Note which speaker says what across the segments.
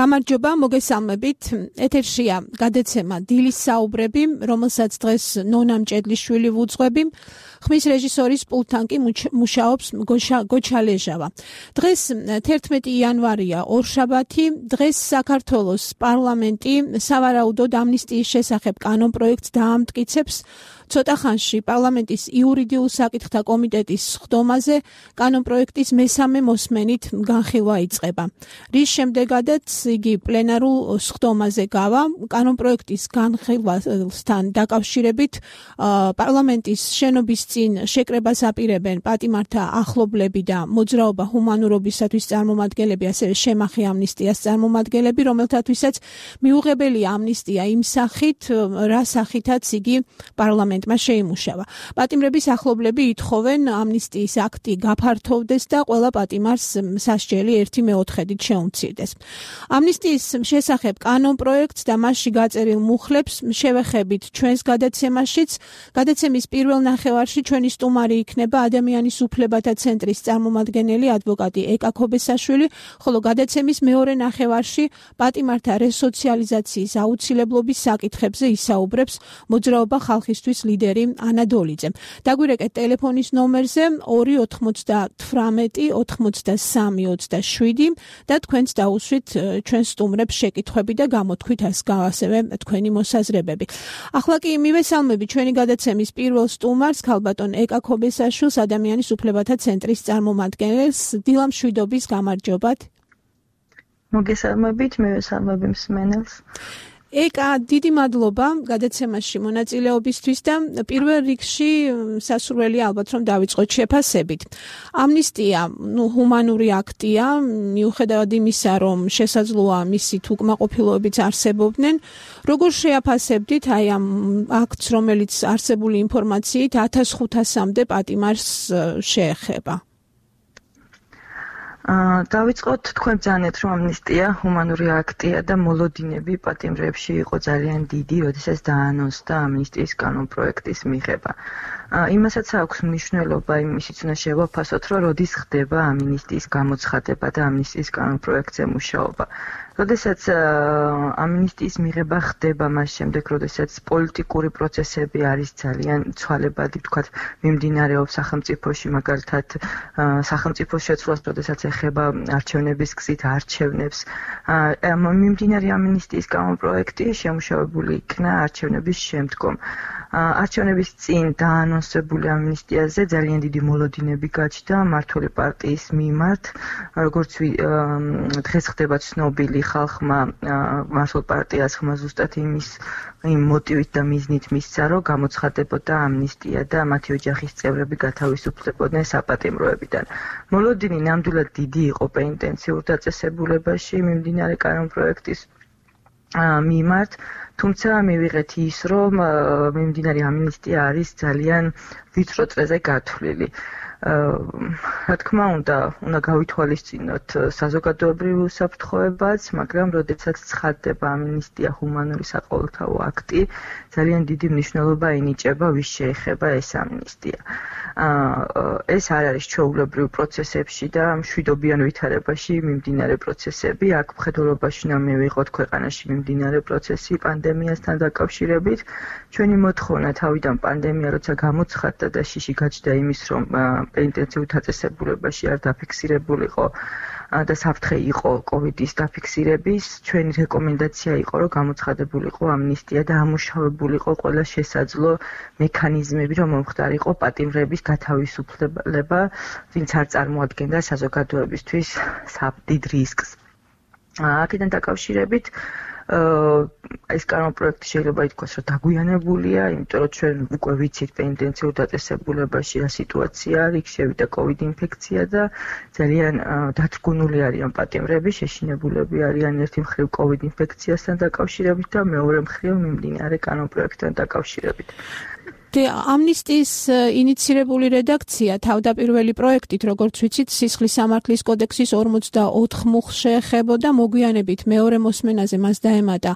Speaker 1: გამარჯობა, მოგესალმებით. ეთერშია გადაცემა დილის საუბრები, რომელსაც დღეს ნონა მჭედლიშვილი ვუძღვები. ხმის რეჟისორის პულტთან კი მუშაობს გოჩა ლეჟავა. დღეს 11 იანვარია, ორშაბათი. დღეს საქართველოს პარლამენტი სავარაუდოდ ამნისტიის შესახებ კანონპროექტს დაამტკიცებს. ცოტა ხანში პარლამენტის იურიდიულ საკითხთა კომიტეტის სხდომაზე კანონპროექტის მესამე მოსმენით განხილვა იწყება. რის შემდეგადაც იგი პლენარულ სხდომაზე გავა. კანონპროექტის განხილვასთან დაკავშირებით პარლამენტის შენობის წინ შეკრებას აპირებენ პატიმართა ახლობლები და მოძრაობა ჰუმანურობისათვის წარმომადგენლები, ასევე შემახი ამნისტიას წარმომადგენლები, რომელთათვისაც მიუღებელია ამნისტია იმ სახით, რა სახითაც იგი პარლამენტმა შეიმუშავა. პატიმრების ახლობლები ითხოვენ ამნისტიის აქტი გაფართოვდეს და ყველა პატიმარს სასჯელი 1/4-ით შეუმცირდეს. ამნისტიის შესახებ კანონპროექტს და მასში გაწერილ მუხლებს შევეხებით ჩვენს გადაცემაშიც. გადაცემის პირველ ნახევარში ჩვენი სტუმარი იქნება ადამიანის უფლებათა ცენტრის წარმომადგენელი ადვოკატი ეკა ქობესაშვილი, ხოლო გადაცემის მეორე ნახევარში პატიმართა რესოციალიზაციის აუცილებლობის საკითხებზე ისაუბრებს მოძრაობა ხალხისთვის ლიდერი ანა დოლიძე. დაგვირეკეთ ტელეფონის ნომერზე 298 83 და თქვენც დაუსვით ჩვენ სტუმრებს შეკითხვები და გამოთქვით ასევე თქვენი მოსაზრებები. ახლა კი მივესალმები ჩვენი გადაცემის პირველ სტუმარს, ქალბატონ ეკა ქობესაშვილს, ადამიანის უფლებათა ცენტრის წარმომადგენელს. დილამშვიდობის, გამარჯობათ.
Speaker 2: მოგესალმებით, მივესალმები მსმენელს.
Speaker 1: ეკა, დიდი მადლობა გადაცემაში მონაწილეობისთვის და პირველ რიგში სასურველი ალბათ რომ დავიწყოთ შეფასებით. ამნისტია, ჰუმანური აქტია, მიუხედავად იმისა, რომ შესაძლოა მისით უკმაყოფილოებიც არსებობდნენ. როგორ შეაფასებდით აი ამ აქტს, რომელიც არსებული ინფორმაციით 1500-მდე პატიმარს შეეხება?
Speaker 2: დავიწყოთ, თქვენ ბრძანეთ, რომ ამნისტია ჰუმანური აქტია და მოლოდინები პატიმრებში იყო ძალიან დიდი, როდესაც დაანონსდა ამნისტიის კანონპროექტის მიღება. იმასაც აქვს მნიშვნელობა, იმისიც უნდა შევაფასოთ, რომ როდის ხდება ამნისტიის გამოცხადება და ამნისტიის კანონპროექტზე მუშაობა. როდესაც ამნისტიის მიღება ხდება მას შემდეგ, როდესაც პოლიტიკური პროცესები არის ძალიან ცვალებადი, ვთქვათ, მიმდინარეობს სახელმწიფოში, მაგალითად, სახელმწიფოს შეცვლას, როდესაც ეხება არჩევნების გზით არჩევნებს. მიმდინარე ამნისტიის კანონპროექტი შემუშავებული იქნა არჩევნების შემდგომ. არჩევნების წინ დაანონსებული ამნისტიაზე ძალიან დიდი მოლოდინები გაჩნდა მმართველი პარტიის მიმართ, როგორც დღეს ხდება ცნობილი ხალხმა მმართველ პარტიას ხმა ზუსტად იმ მოტივით და მიზნით მისცა, რომ გამოცხადებოდა ამნისტია და მათი ოჯახის წევრები გათავისუფლებოდნენ საპატიმროებიდან. მოლოდინი ნამდვილად დიდი იყო პენიტენციურ დაწესებულებაში მიმდინარე კანონპროექტის მიმართ, თუმცა მივიღეთ ის, რომ მიმდინარე ამნისტია არის ძალიან ვიწრო წრეზე გათვლილი. რა თქმა უნდა გავითვალისწინოთ საზოგადოებრივ უსაფრთხოებაც, მაგრამ როდესაც ცხადდება ამნისტია ჰუმანური საყოველთაო აქტი, ძალიან დიდი მნიშვნელობა ენიჭება ვის შეეხება ეს ამნისტია. ეს არ არის ჩვეულებრივ პროცესებში და მშვიდობიან ვითარებაში მიმდინარე პროცესები. აქ მხედველობაში უნდა მივიღოთ ქვეყანაში მიმდინარე პროცესი პანდემიასთან დაკავშირებით. ჩვენი მოთხოვნა თავიდან პანდემია როცა გამოცხადდა და შიში გაჩნდა იმის, რომ პენიტენციურ დაწესებულებაში არ დაფიქსირებულიყო და საფრთხე იყო კოვიდის დაფიქსირების, ჩვენი რეკომენდაცია იყო, რომ გამოცხადებულიყო ამნისტია და ამუშავებულიყო ყველა შესაძლო მექანიზმები, რომ მომხდარიყო პატიმრების გათავისუფლება, ვინც არ წარმოადგენდა საზოგადოებისთვის დიდ რისკს. აქედან დაკავშირებით ეს კანონპროექტი შეიძლება ითქვას, რომ დაგვიანებულია, იმიტომ რომ ჩვენ უკვე ვიცით პენიტენციურ დაწესებულებაში რა სიტუაცია არის, იქ შევიდა კოვიდ ინფექცია და ძალიან დათრგუნული არიან პატიმრები, შეშინებულები არიან ერთი მხრივ კოვიდ ინფექციასთან დაკავშირებით და მეორე მხრივ მიმდინარე კანონპროექტთან დაკავშირებით.
Speaker 1: ამნისტიის ინიცირებული რედაქცია თავდაპირველი პროექტით, როგორც ვიცით, სისხლის სამართლის კოდექსის 44 მუხლს შეეხებოდა, მოგვიანებით მეორე მოსმენაზე მას დაემატა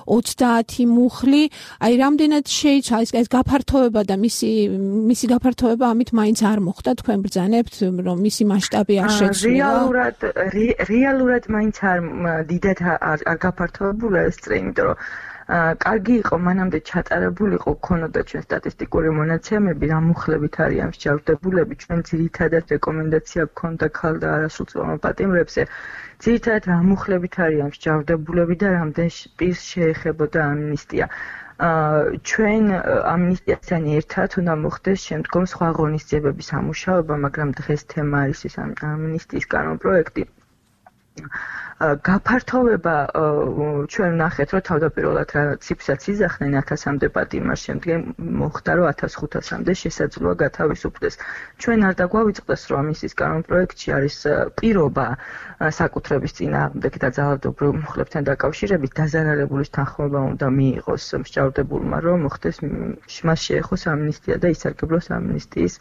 Speaker 1: 30 მუხლი. აი, რამდენად შეიცვალა ეს გაფართოება და მისი გაფართოება ამით მაინც არ მოხდა, თქვენ ბრძანებთ, რომ მისი მასშტაბი არ შეცვლილა?
Speaker 2: რეალურად მაინც არ დიდად არ გაფართოებულა ეს წრე, იმიტომ რომ კარგი იყო მანამდე ჩატარებულიყო ქონოდა ჩვენ სტატისტიკური მონაცემები რა მუხლებით არიან მსჯავრდებულები ჩვენ ძირითადად რეკომენდაცია გქონდა ქალ და არასრულწლოვან პატიმრებზე ძირითადად რა მუხლებით არიან მსჯავრდებულები და რამდენ პირს შეეხებოდა ამნისტია ჩვენ ამნისტიასთან ერთად უნდა მოხდეს შემდგომ სხვა ღონისძიებების ამუშავება მაგრამ დღეს თემა არის ეს ამნისტიის კანონპროექტი გაფართოვება ჩვენ ნახეთ რომ თავდაპირველად რა ციფრსაც იძახდნენ 1000-მდე პატიმარს შემდეგ მოხდა რომ 1500-მდე შესაძლოა გათავისუფლდეს ჩვენ არ დაგვავიწყდეს რომ ამის კანონპროექტში არის პირობა საკუთრების წინააღმდეგ და ძალადობრივ მუხლებთან დაკავშირებით დაზარალებულის თანხმობა უნდა მიიღოს მსჯავრდებულმა რომ მოხდეს მას შეეხოს ამნისტია და ისარგებლოს ამნისტიის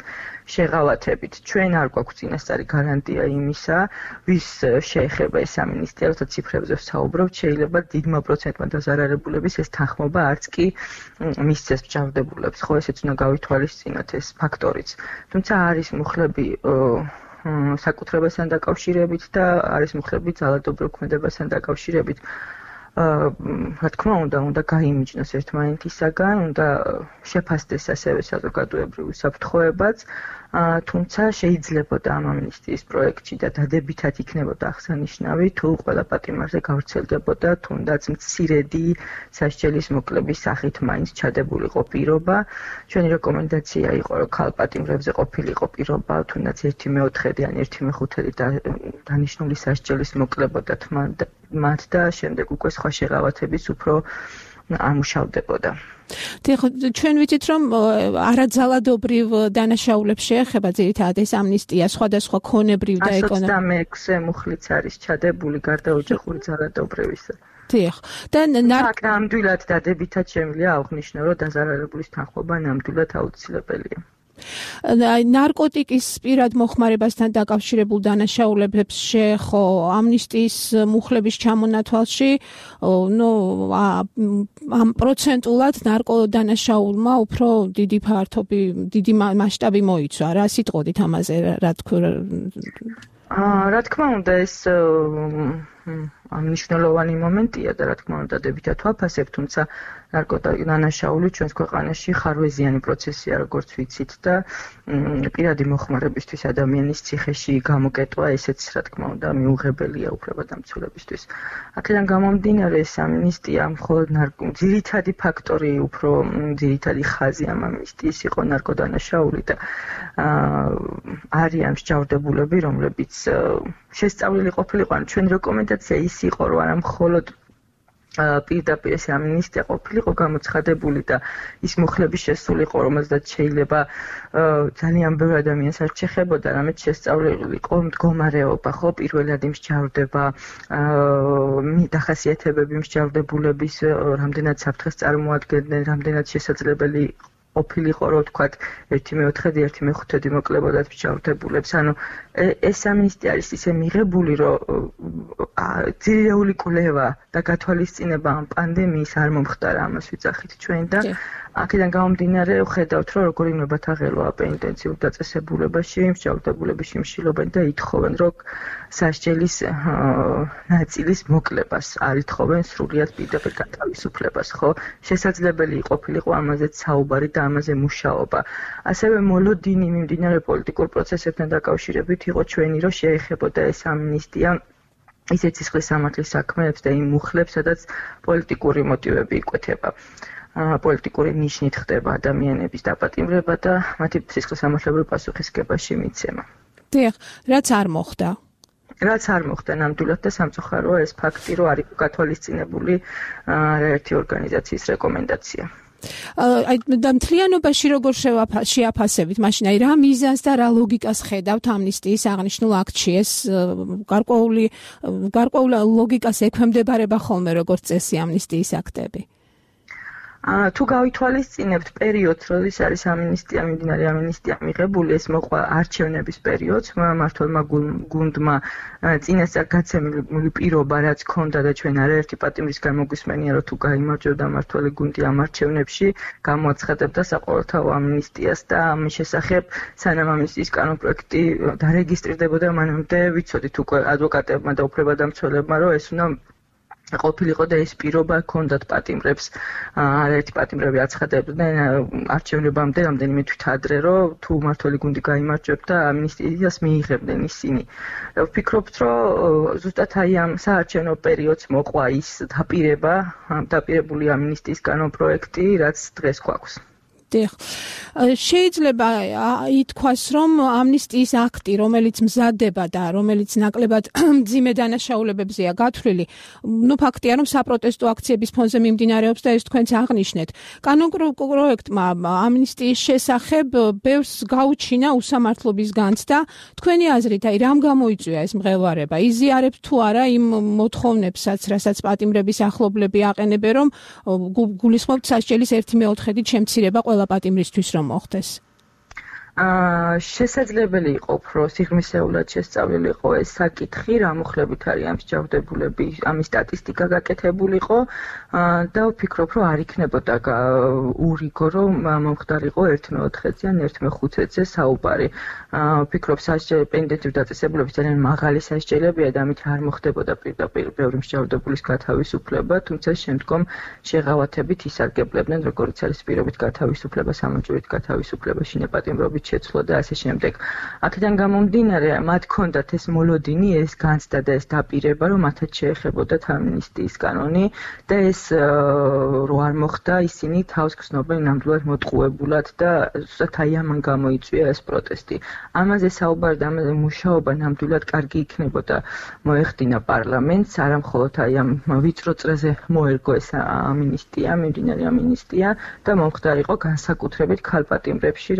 Speaker 2: შეღავათებით ჩვენ არ გვაქვს წინასწარი გარანტია იმისა ვის შეეხება ეს ამნისტია როცა ციფრებზე ვსაუბრობთ შეიძლება დიდმა პროცენტმა დაზარალებულების ეს თანხმობა არც კი მისცეს მსჯავრდებულებს ხო ესეც უნდა გავითვალისწინოთ ეს ფაქტორიც თუმცა არის მუხლები საკუთრებასთან დაკავშირებით და არის მუხლები ძალადობრივ ქმედებასთან დაკავშირებით რა თქმა უნდა გაიმიჯნოს ერთმანეთისაგან უნდა შეფასდეს ასევე საზოგადოებრივი საფრთხოებაც თუმცა შეიძლებოდა ამ ამნისტიის პროექტში და დადებითად იქნებოდა აღსანიშნავი თუ ყველა პატიმარზე გავრცელდებოდა თუნდაც მცირედი სასჯელის მოკლების სახით მაინც ჩადებულიყო პირობა ჩვენი რეკომენდაცია იყო რომ ქალ პატიმრებზე ყოფილიყო პირობა თუნდაც 1/4 ან 1/5 დანიშნული სასჯელის მოკლებოდათ მათ და შემდეგ უკვე სხვა შეღავათების უფრო ამუშავდებოდა.
Speaker 1: ჩვენ ვიცით რომ არაძალადობრივ დანაშაულებს შეეხება ძირითადად ეს ამნისტია სხვადასხვა ქონებრივ და ეკონომიკურ
Speaker 2: 26 მუხლიც არის ჩადებული გარდა ოჯახური ძალადობრივისა.
Speaker 1: დიახ. და
Speaker 2: ნამდვილად დადებითად შემიძლია აღვნიშნო რომ დაზარალებულის თანხმობა ნამდვილად აუცილებელია.
Speaker 1: ნარკოტიკის პირად მოხმარებასთან დაკავშირებულ დანაშაულებებს შეეხო ამნისტიის მუხლების ჩამონათვალში ამ პროცენტულად ნარკოდანაშაულმა უფრო დიდი მასშტაბი მოიცვა რა სიტყოდით ამაზე
Speaker 2: რა თქმა უნდა ეს მნიშვნელოვანი მომენტია და რა თქმა უნდა დადებითად ვაფასებ თუმცა ნარკოდანაშაული ჩვენს ქვეყანაში ხარვეზიანი პროცესია როგორც ვიცით და პირადი მოხმარებისთვის ადამიანის ციხეში გამოკეტვა ესეც რა თქმა უნდა მიუღებელია უფლებადამცველებისთვის აქედან გამომდინარე ეს ამნისტია მხოლოდ ძირითადი ფაქტორი უფრო ძირითადი ხაზი ამ ამნისტიის იყო ნარკოდანაშაული და არიან მსჯავრდებულები რომლებიც შესწავლილი ყოფილიყო ან ჩვენ რეკომენდაცია ის იყო რომ არა მხოლოდ პირდაპირ ეს ამნისტია ყოფილიყო გამოცხადებული და ის მუხლების შესულიყო რომელზეც შეიძლება ძალიან ბევრი ადამიანს არ შეეხებოდა რამეც შესწავლილიყო მდგომარეობა ხო პირველადი მსჯავრდება დახასიათებები მსჯავრდებულების რამდენად საფრთხეს წარმოადგენდნენ რამდენად შესაძლებელი ყოფილიყო რომ თქვათ 1/4 1/5 მოკლებოდათ მსჯავრდებულებს ანუ ეს ამნისტია არის ისე მიღებული რომ ძირეული კვლევა და გათვალისწინება ამ პანდემიის არ მომხდარა ამას ვიძახით ჩვენ და აქედან გამომდინარე ვხედავთ რომ როგორ იმებათ აღელვა პენიტენციურ დაწესებულებაში მსჯავრდებულები შიმშილობენ და ითხოვენ რომ სასჯელის ნაწილის მოკლებას არ ითხოვენ სრულიად პირდაპირ გათავისუფლებას ხო შესაძლებელი ყოფილიყო ამაზეც საუბარი და ამაზე მუშაობა ასევე მოლოდინი მიმდინარე პოლიტიკურ პროცესებთან დაკავშირებით იყო ჩვენი რომ შეეხებოდა ეს ამნისტია ისეთ სისხლის სამართლის საქმეებს და იმ მუხლებს სადაც პოლიტიკური მოტივები იკვეთება პოლიტიკური ნიშნით ხდება ადამიანების დაპატიმრება და მათი სისხლის სამართლებრივი პასუხისგებაში მიცემა.
Speaker 1: დიახ, რაც არ მოხდა.
Speaker 2: რაც არ მოხდა ნამდვილად და სამწუხაროა ეს ფაქტი რომ არ იყო გათვალისწინებული არაერთი ორგანიზაციის რეკომენდაცია.
Speaker 1: აი და მთლიანობაში როგორ შეაფასებით მაშინ აი რა მიზანს და რა ლოგიკას ხედავთ ამნისტიის აღნიშნულ აქტში ეს გარკვეულ ლოგიკას ექვემდებარება ხოლმე როგორც წესი ამნისტიის აქტები
Speaker 2: თუ გავითვალისწინებთ პერიოდს, როდის არის ამინისტია, მიმდინარე ამინისტია მიღებული, ეს მოყვა არჩევნების პერიოდს, მმართველმა გუნდმა წინასწარ გაცემული პირობა, რაც ჰქონდა და ჩვენ არაერთი პატიმრის გამოგვისმენია, რომ თუ გაიმარჯვებდა მმართველი გუნდი ამ არჩევნებში, გამოაცხადებდა საყოველთაო ამინისტიას და ამის შესახებ სანამ ამინისტიის კანონპროექტი დარეგისტრირდებოდა, მანამდე ვიცოდით უკვე ადვოკატებმა და უფლებადამცველებმა, რომ ეს უნდა ყოფილიყო და ეს პირობა ჰქონდათ პატიმრებს, არაერთი პატიმრები აცხადებდნენ არჩევნებამდე, რამდენიმე თვით ადრე, რომ თუ მმართველი გუნდი გაიმარჯვებდა, ამინისტიას მიიღებდნენ ისინი. ვფიქრობთ, რომ ზუსტად აი ამ საარჩევნო პერიოდს მოყვა ის დაპირებული ამინისტიის კანონპროექტი, რაც დღეს გვაქვს.
Speaker 1: შეიძლება ითქვას, რომ ამნისტიის აქტი, რომელიც მზადდება და რომელიც ნაკლებად მძიმე დანაშაულებებზეა გათვლილი, ფაქტია, რომ საპროტესტო აქციების ფონზე მიმდინარეობს და ეს თქვენც აღნიშნეთ. კანონპროექტმა ამნისტიის შესახებ ბევრს გაუჩინა უსამართლობის განცდა. თქვენი აზრით, რამ გამოიწვია ეს მღელვარება? იზიარებთ თუ არა იმ მოთხოვნებსაც, რასაც პატიმრების ახლობლები აყენებენ, რომ გულისხმობთ სასჯელის 1/4-ით შემცირება ყველა პატიმრისთვის რომ მოხდეს?
Speaker 2: შესაძლებელი იყო უფრო სიღრმისეულად შესწავლილიყო ეს საკითხი, რა მოხლებით არის ამ მსჯავრდებულები, ამის სტატისტიკა გაკეთებულიყო და ვფიქრობ, რომ არ იქნებოდა ურიგო, რომ მომხდარიყო 1/4-ზე ან 1/5-ზე საუბარი. ვფიქრობ, პენდენტური დაწესებულების ძალიან მაღალი სასჯელებია და ამით არ მოხდებოდა პირდაპირ ბევრი მსჯავრდებულის გათავისუფლება, თუმცა შემდგომ შეღავათებით ისარგებლებდნენ, როგორც არის პირობით გათავისუფლება, სამოჭურით გათავისუფლება, შინაპატიმრობით შეცვლა და ასე შემდეგ. აქედან გამომდინარე, მათ ჰქონდათ ეს მოლოდინი, ეს განცდა და ეს დაპირება, რომ მათაც შეეხებოდათ ამინისტიის კანონი და ეს რო არ მოხდა, ისინი თავს გრძნობენ ნამდვილად მოტყუებულად და ზუსტად აი ამან გამოიწვია ეს პროტესტი. ამაზე საუბარი და ამაზე მუშაობა ნამდვილად კარგი იქნებოდა მოეხდინა პარლამენტს, არა მხოლოდ აი ამ ვიწრო წრეზე მოერგო ეს ამინისტია, მიმდინარე ამინისტია და მომხდარიყო განსაკუთრებით ქალპატიმრებში,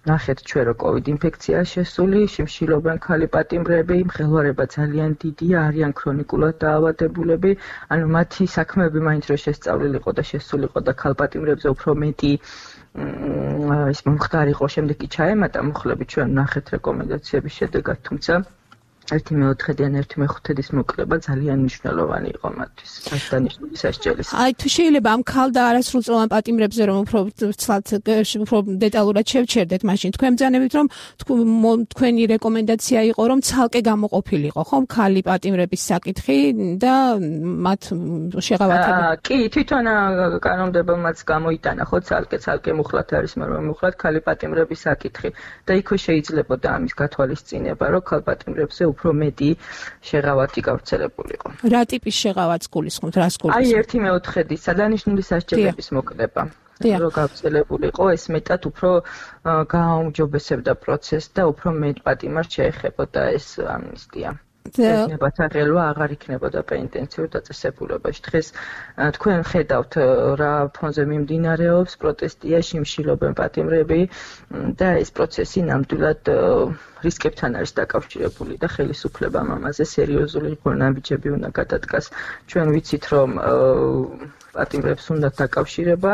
Speaker 2: ნახეთ ჩვენ რომ COVID ინფექცია შესული, შიმშილობენ ქალი პატიმრები, მღელვარება ძალიან დიდია, არიან ქრონიკულად დაავადებულები, ანუ მათი საქმეები მაინც რომ შესწავლილიყო და შესულიყო და ქალპატიმრებზე უფრო მეტი ის მომხდარიყო, შემდეგ კი ჩაემატა მოხლები ჩვენ ნახეთ რეკომენდაციების შედეგად, თუმცა 1/4-დან 1/5-ის მოკლება ძალიან მნიშვნელოვანი იყო მათთვის, სასჯელის სასჯელის.
Speaker 1: აი თუ შეიძლება ამ ქალ და არასრულწლოვან პატიმრებზე რომ უფრო ცლად უფრო დეტალურად შევჩერდეთ, მაშინ თქვენ ბრძანებით რომ თქვენი რეკომენდაცია იყო რომ ცალკე გამოყოფილიყო, ხომ ქალი პატიმრების საკითხი და მათ შეღავათება.
Speaker 2: კი, თვითონ კანონმდებელმაც გამოიტანა ხო ცალკე მუხლად არის, მაგრამ მუხლად ქალი პატიმრების საკითხი და იქვე შეიძლებოდა ამის გათვალისწინება, რომ ქალ პატიმრებზე უფრო მეტი შეღავათი გავრცელებულიყო.
Speaker 1: რა ტიპის შეღავათს გულისხმობთ, რას გულისხმობთ?
Speaker 2: აი 1/4 სადანიშნული სასჯელების მოკლება. რო გავრცელებულიყო, ეს მეტად უფრო გააუმჯობესებდა პროცესს და უფრო მეტ პატიმარს შეეხებოდა ეს ამნისტია. ნებათა ღელვა აღარ იქნებოდა პენიტენციურ დაწესებულებაში. დღეს თქვენ ხედავთ რა ფონზე მიმდინარეობს პროტესტია, შიმშილობენ პატიმრები და ეს პროცესი ნამდვილად რისკებთან არის დაკავშირებული და ხელისუფლებამ ამაზე სერიოზული ნაბიჯები უნდა გადადგას. ჩვენ ვიცით რომ პატიმრებს უნდა დაკავშირება,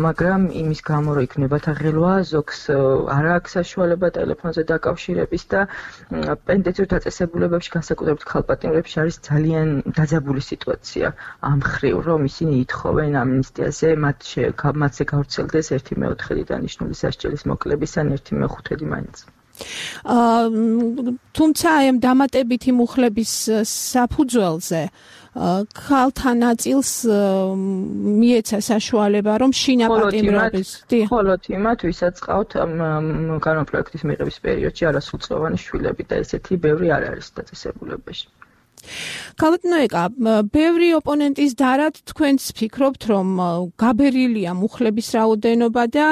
Speaker 2: მაგრამ იმის გამო რომ იქნებათა ღელვა, ზოგს არ აქვს საშუალება ტელეფონზე დაკავშირების და პენიტენციურ დაწესებულებებში განსაკუთრებით ქალპატიმრებში არის ძალიან დაძაბული სიტუაცია ამ მხრივ, რომ ისინი ითხოვენ ამნისტიაზე, მათზე გავრცელდეს 1/4 დანიშნული სასჯელის მოკლების ან 1/5 მაინც.
Speaker 1: თუმცა აი ამ დამატებითი მუხლების საფუძველზე ქალთა ნაწილს მიეცა საშუალება რომ შინაპატიმრების
Speaker 2: მხოლოდ იმათ ვისაც ყავთ კანონპროექტის მიღების პერიოდში არასრულწლოვანი შვილები და ესეთი ბევრი არ არის დაწესებულებაში.
Speaker 1: ქალბატონო, ბევრი ოპონენტის დარად თქვენც ფიქრობთ, რომ გაბერილია მუხლების რაოდენობა და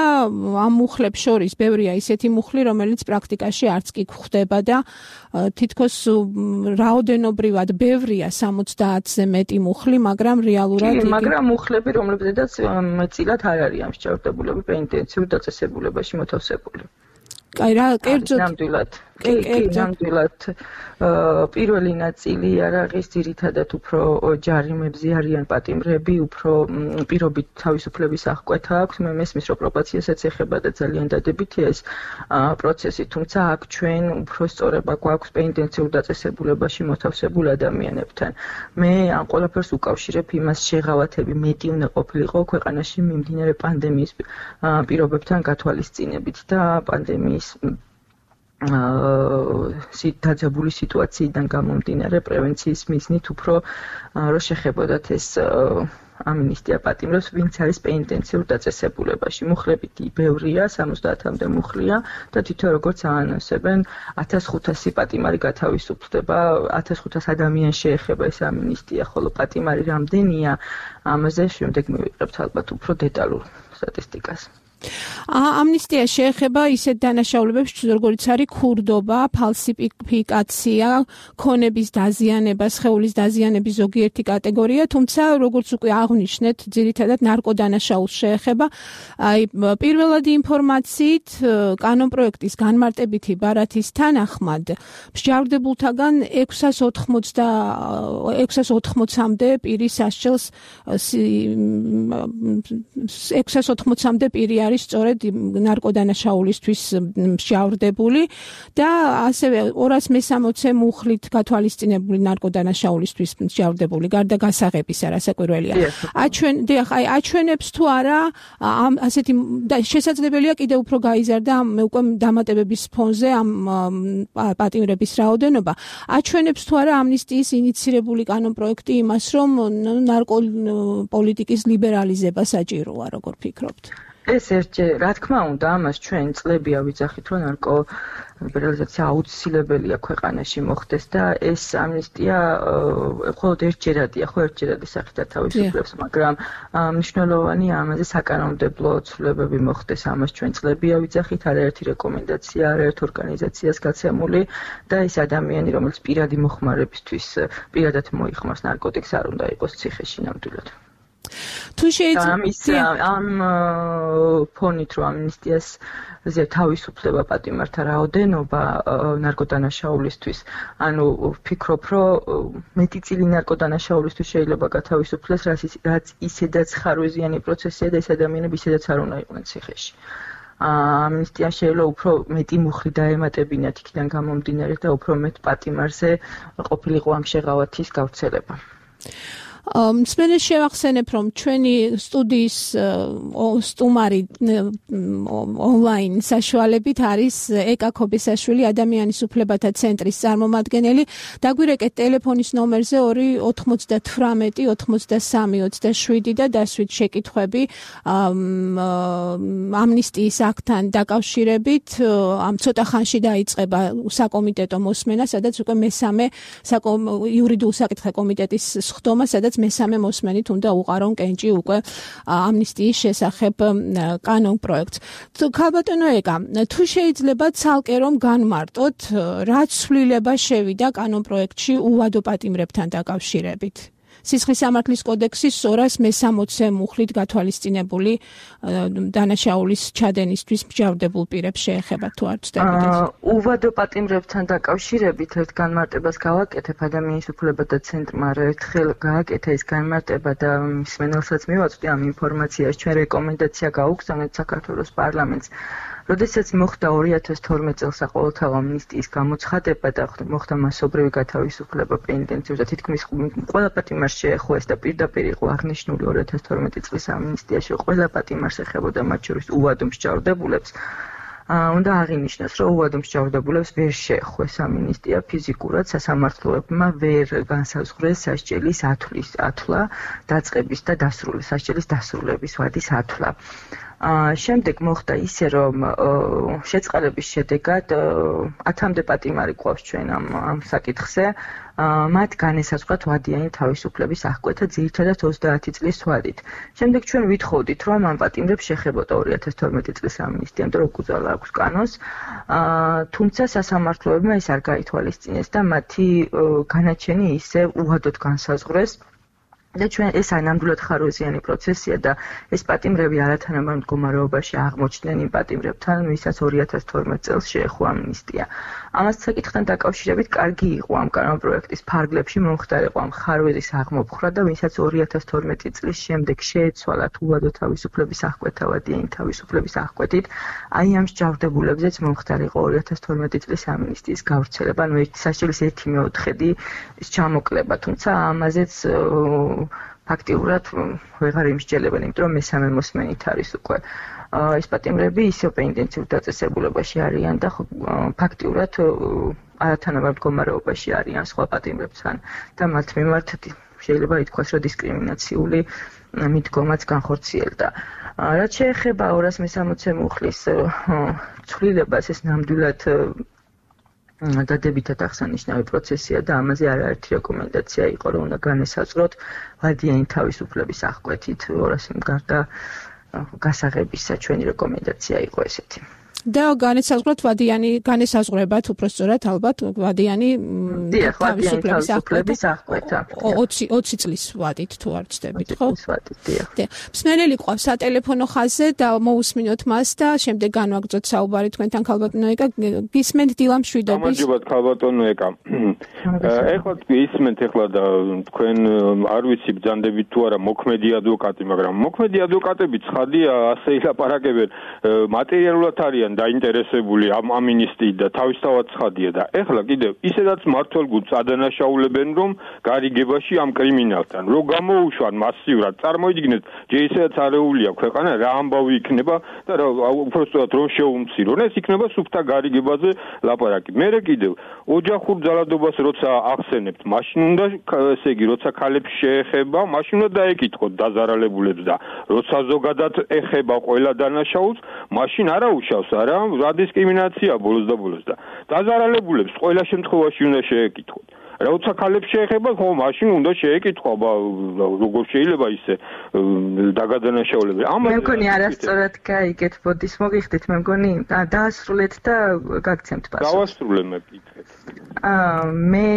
Speaker 1: ამ მუხლებს შორის ბევრია ისეთი მუხლი, რომელიც პრაქტიკაში არც კი გვხვდება და თითქოს რაოდენობრივად ბევრია 70-ზე მეტი მუხლი, მაგრამ რეალურად
Speaker 2: მაგრამ მუხლები, რომლებზედაც მეტწილად არ არის ამსჯავრდებულები პენიტენციურ დაწესებულებაში მოთავსებული.
Speaker 1: აი რა კერძოდ
Speaker 2: ნამდვილად პირველი ნაწილი არ არის ძირითადად უფრო ჯარიმებზე არიან პატიმრები, უფრო პირობით თავისუფლების აღკვეთა აქვს. მე მესმის რომ პრობაციასაც ეხება და ძალიან დადებითია ეს პროცესი, თუმცა აქ ჩვენ უფრო სწორება გვაქვს პენიტენციურ დაწესებულებაში მოთავსებულ ადამიანებთან. მე ამ ყველაფერს უკავშირებ იმას შეღავათები მეტი უნდა ყოფილიყო ქვეყანაში მიმდინარე პანდემიის პირობებთან გათვალისწინებით და პანდემიის დაძაბული სიტუაციიდან გამომდინარე პრევენციის მიზნით უფრო რომ შეხებოდათ ეს ამინისტია პატიმრებს, ვინც არის პენიტენციურ დაწესებულებაში. მუხლები ბევრია, 70-მდე მუხლია და თვითონ როგორც აანონსებენ 1500 პატიმარი გათავისუფლდება, 1500 ადამიანს შეეხება ეს ამინისტია, ხოლო პატიმარი რამდენია, ამაზე შემდეგ მივიღებთ ალბათ უფრო დეტალურ სტატისტიკას.
Speaker 1: ამნისტია შეეხება ისეთ დანაშაულებებს, როგორც არის ქურდობა, ფალსიფიკაცია, ქონების დაზიანება, სხეულის დაზიანების ზოგიერთი კატეგორია, თუმცა როგორც უკვე აღვნიშნეთ, ძირითადად ნარკოდანაშაულს შეეხება. აი პირველადი ინფორმაციით კანონპროექტის განმარტებითი ბარათის თანახმად მსჯავრდებულთაგან 680-მდე პირი სასჯელს 680-მდე პირი არის სწორედ ნარკოდანაშაულისთვის მსჯავრდებული და ასევე 260 მუხლით გათვალისწინებული ნარკოდანაშაულისთვის მსჯავრდებული გარდა გასაღებისა, რასაკვირველია. აჩვენებს თუ არა ამ ასეთი შესაძლებელია კიდევ უფრო გაიზარდა უკვე დამატებების ფონზე ამ პატიმრების რაოდენობა. აჩვენებს თუ არა ამნისტიის ინიცირებული კანონპროექტი იმას, რომ ნარკოპოლიტიკის ლიბერალიზება საჭიროა, როგორ ფიქრობთ?
Speaker 2: ეს რა თქმა უნდა, ამას ჩვენ წლები ავიძახით, რომ ნარკოლიბერალიზაცია აუცილებელია ქვეყანაში მოხდეს და ეს ამნისტია მხოლოდ ერთჯერადია, ერთჯერადი სახით თავისუფლებს, მაგრამ მნიშვნელოვანია ამაზე საკანონმდებლო ცვლილებები მოხდეს, ამას ჩვენ წლები ავიძახით, არაერთი რეკომენდაცია, არაერთ ორგანიზაციას გაცემული და ეს ადამიანი, რომელიც პირადი მოხმარებისთვის პირადად მოიხმარს ნარკოტიკს, არ უნდა იყოს ციხეში ნამდვილად.
Speaker 1: თუ შეიძლება
Speaker 2: ამ ფონით რომ ამნისტიაზე თავისუფლება პატიმართა რაოდენობა ნარკოდანაშაულისთვის, ანუ ვფიქრობ, რომ მეტი წილი ნარკოდანაშაულისთვის შეიძლება გათავისუფლდეს, რაც ისედაც ხარვეზიანი პროცესია და ეს ადამიანები ისედაც არ უნდა იყვნენ ციხეში. ამნისტია შეიძლება უფრო მეტი მუხლი დაემატებინათ იქიდან გამომდინარე და უფრო მეტ პატიმარზე ყოფილიყო ამ შეღავათის გავრცელება.
Speaker 1: მსმენელს შევახსენებ, რომ ჩვენი სტუდიის სტუმარი ონლაინ საშუალებით არის ეკა ქობესაშვილი ადამიანის უფლებათა ცენტრის წარმომადგენელი. დაგვირეკეთ ტელეფონის ნომერზე 298 83 27 და დასვით შეკითხვები ამნისტიის აქტთან დაკავშირებით. ამ ცოტა ხანში დაიწყება საკომიტეტო მოსმენა, სადაც უკვე მესამე იურიდიულ საკითხთა კომიტეტის სხდომა, სადაც მესამე მოსმენით უნდა უყარონ კენჭი უკვე ამნისტიის შესახებ კანონპროექტს. ქალბატონო ეკა, თუ შეიძლება ცალკე რომ განმარტოთ, რა ცვლილება შევიდა კანონპროექტში უვადო პატიმრებთან დაკავშირებით? სისხლის სამართლის კოდექსის 260 მუხლით გათვალისწინებული დანაშაულის ჩადენისთვის მსჯავრდებულ პირებს შეეხება თუ არ ვცდებით?
Speaker 2: უვადო პატიმრებთან დაკავშირებით ერთ განმარტებას გავაკეთებ ადამიანის უფლებათა ცენტრმა ერთხელ გააკეთა ეს განმარტება და მსმენელსაც მივაწვდი ამ ინფორმაციას, ჩვენ რეკომენდაცია გავუგზავნეთ საქართველოს პარლამენტს. როდესაც მოხდა 2012 წელს საყოველთაო ამნისტიის გამოცხადება და მოხდა მასობრივი გათავისუფლება პენიტენციურ და თითქმის ყველა პატიმარს შეეხო ეს და პირდაპირ იყო აღნიშნული 2012 წლის ამნისტიაში ყველა პატიმარს ეხებოდა, მათ შორის უვადო მსჯავრდებულებს. უნდა აღინიშნოს, რომ უვადო მსჯავრდებულებს ვერ შეეხო ეს ამნისტია ფიზიკურად, სასამართლოებმა ვერ განსაზღვრეს სასჯელის ათვლა, დაწყების და სასჯელის დასრულების ვადის ათვლა. შემდეგ მოხდა ისე, რომ შეწყალების შედეგად 10-მდე პატიმარი გვყავს ჩვენ ამ საკითხზე. მათ განესაზღვრათ ვადიანი თავისუფლების აღკვეთა ძირითადად 30 წლის ვადით. შემდეგ ჩვენ ვითხოვდით, რომ ამ პატიმრებს შეხებოდა 2012 წლის ამნისტია, რომ უკუძალა აქვს კანონს. თუმცა სასამართლოებმა ეს არ გაითვალისწინეს და მათი განაჩენი ისე უვადოდ განსაზღვრეს. და ჩვენ ეს ნამდვილად ხარვეზიანი პროცესია და ეს პატიმრები არათანაბარ მდგომარეობაში აღმოჩნდნენ იმ პატიმრებთან, ვისაც 2012 წელს შეეხო ამნისტია. ამას საკითხთან დაკავშირებით კარგი იყო ამ კანონპროექტის ფარგლებში მომხდარიყო ამ ხარვეზის აღმოფხრა და ვინცაც 2012 წლის შემდეგ შეეცვალა თუვადო თავისუფლების აღკვეთა ვადიანი თავისუფლების აღკვეთით, აი ამ მსჯავრდებულებზეც მომხდარიყო 2012 წლის ამინისტიის გავრცელება, ანუ სასჯელის 1/4 ის ჩამოკლება, თუმცა ამაზეც ფაქტიურად ვეღარ იმსჯელებენ, იმიტომ რომ მესამე მოსმენით არის უკვე ეს პატიმრები ისევ ინტენსიურ დაწესებულებაში არიან და ფაქტიურად არათანაბარ მდგომარეობაში არიან სხვა პატიმრებთან და მათ მიმართ შეიძლება ითქვას, რომ დისკრიმინაციული მიდგომაც განხორციელდა. რაც შეეხება 260 მუხლის ცვლილებას, ეს ნამდვილად დადებითად აღსანიშნავი პროცესია და ამაზე არაერთი რეკომენდაცია იყო, რომ უნდა განესაზღვროთ ვადიანი თავისუფლების აღკვეთით 200 გარდა გასაღებისა ჩვენი რეკომენდაცია იყო ესეთი.
Speaker 1: და განესაზღვროთ განესაზღვრებათ უბრალოდ ალბათ ვადიანი
Speaker 2: თავისუფლების აღკვეთა
Speaker 1: 20 წლის ვადით თუ არ ვცდებით, ხო?
Speaker 2: 20 წლის ვადით, დიახ.
Speaker 1: მსმენელი ყავს სატელეფონო ხაზზე და მოусმინოთ მას და შემდეგ განვაგრძოთ საუბარი თქვენთან ქალბატონო ეკა. გისმენთ დილამშვიდობის.
Speaker 3: გამარჯობათ ქალბატონო ეკა. ეხლა ისმენთ ეხლა და თქვენ არ ვიცი ბრძანდებით თუ არა მოქმედი ადვოკატი, მაგრამ მოქმედი ადვოკატები ცხადია ასე ილაპარაკებენ, მატერიალურად არიან დაინტერესებული ამ ამინისტიით და თავისთავად ცხადია და ეხლა კიდევ ისედაც მართლ გულს ადანაშაულებენ რომ გარიგებაში ამ კრიმინალთან რო გამოუშვან მასიურად წარმოიდგინეთ ჯერ ისედაც არეულია ქვეყანა რა ამბავი იქნება და უბრალოდ რომ შეუმცირონ ეს იქნება სუფთა გარიგებაზე ლაპარაკი მე კიდევ ოჯახურ ძალადობას როცა ახსენებთ მაშინ უნდა ესე იგი როცა ქალებს შეეხება მაშინ უნდა დაეკითხოთ დაზარალებულებს და როცა ზოგადად ეხება ყველა დანაშაულს მაშინ არა უშავს რა დისკრიმინაცია ბოლოს და დაზარალებულებს ყველა შემთხვევაში უნდა შეეკითხოთ. როცა ქალებს შეეხება, ხო, მაშინ უნდა შეეკითხო, როგორ შეიძლება ისე დაგადანაშაულება.
Speaker 2: მე მგონი არასწორად გაიგეთ, ბოდის მოგიხდით, მე მგონი დაასრულეთ და გაგცემთ პასუხს.
Speaker 3: დავასრულე მე კითხეთ.
Speaker 2: მე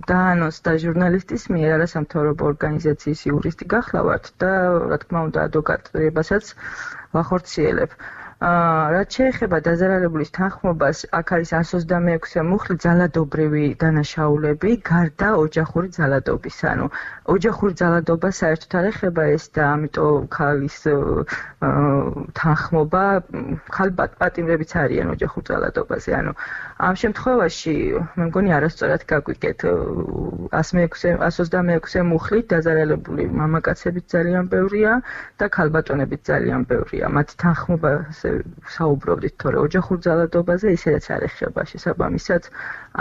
Speaker 2: დაანონსდა ჟურნალისტის მიერ არასამთავრობო ორგანიზაციის იურისტი გახლავართ და რა თქმა უნდა ადვოკატებასაც ვახორციელებ. რაც შეეხება დაზარალებულის თანხმობას, აქ არის 126 მუხლი ძალადობრივი დანაშაულები, გარდა ოჯახური ძალადობის. ანუ ოჯახური ძალადობა საერთოდ არ ეხება ეს და ამიტომ ქალის თანხმობა, ხალ პატიმრებიც არიან ოჯახურ ძალადობაზე. ანუ ამ შემთხვევაში მე მგონი არასწორად გაგვიგეთ 126 მუხლით დაზარალებული მამაკაცებიც ძალიან ბევრია და ქალბატონებიც ძალიან ბევრია. მათ თანხმობაზე საუბრობდით, თორე ოჯახურ ძალადობაზე ისედაც არ ეხება შესაბამისად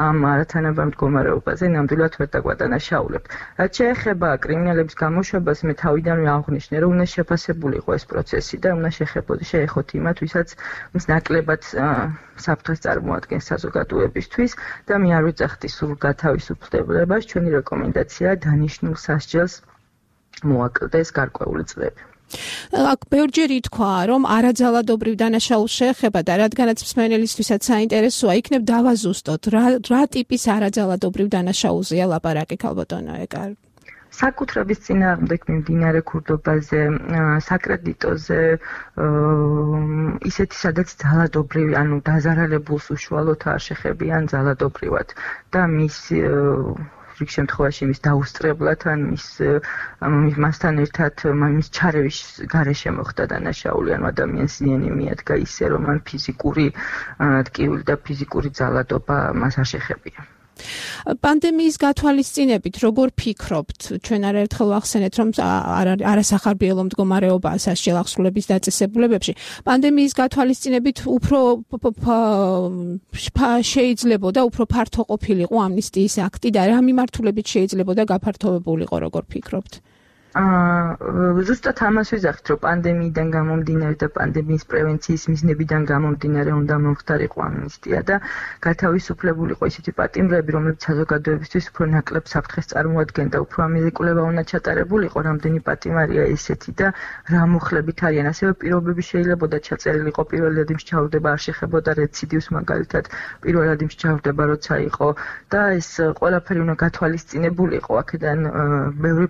Speaker 2: ამ არათანაბარ მდგომარეობაზე ნამდვილად ვერ დაგვადანაშაულებთ. რაც შეეხება კრიმინალების გამოშვებას, მე თავიდანვე აღვნიშნე, რომ უნდა შეფასებულიყო ეს პროცესი და უნდა შეეხოთ იმათ, ვისაც მის ნაკლებად საფრთხეს წარმოადგენს საზოგადოებისთვის და მე არ ვიძახდი სულ გათავისუფლებას, ჩვენი რეკომენდაცია დანიშნულ სასჯელს მოაკლდეს გარკვეული წლები.
Speaker 1: აქ ბევრჯერ ითქვა, რომ არაძალადობრივ დანაშაულს შეეხება და რადგანაც მსმენელისთვისაც საინტერესოა, იქნებ დავაზუსტოთ, რა ტიპის არაძალადობრივ დანაშაულზეა ლაპარაკი ქალბატონო ეკა?
Speaker 2: საკუთრების წინააღმდეგ მიმდინარე ქურდობაზე, საკრედიტოზე, ისეთი სადაც ძალადობრივი, ანუ დაზარალებულს უშუალოდ არ შეხებიან ძალადობრივად და მის რიგ შემთხვევაში მის დაუსწრებლად ან მასთან ერთად მის ჩარევის გარეშე მოხდა დანაშაული, ანუ ადამიანს ზიანი მიადგა ისე, რომ მან ფიზიკური ტკივილი და ფიზიკური ძალადობა მას არ შეხებია.
Speaker 1: პანდემიის გათვალისწინებით როგორ ფიქრობთ? ჩვენ არაერთხელ ვახსენეთ, რომ არასახარბიელო მდგომარეობაა სასჯელ აღსრულების დაწესებულებებში. პანდემიის გათვალისწინებით უფრო შეიძლებოდა უფრო ფართო ყოფილიყო ამნისტიის აქტი და რა მიმართულებით შეიძლებოდა გაფართოვებულიყო, როგორ ფიქრობთ?
Speaker 2: ზუსტად ამას ვიზახით, რომ პანდემიიდან გამომდინარე და პანდემიის პრევენციის მიზნებიდან გამომდინარე უნდა მომხდარიყო ამნისტია და გათავისუფლებულიყო ისეთი პატიმრები, რომლებიც საზოგადოებისთვის უფრო ნაკლებ საფრთხეს წარმოადგენდა, უფრო ამილიკულება უნდა ჩატარებულიყო, რამდენი პატიმარია ესეთი და რა მუხლებით არიან. ასევე პირობები შეიძლებოდა ჩაწერილიყო პირველადი მსჯავრდება არ შეხებოდა რეციდივს, მაგალითად პირველადი მსჯავრდება როცა იყო და ეს ყველაფერი უნდა გათვალისწინებულიყო. აქედან ბევრი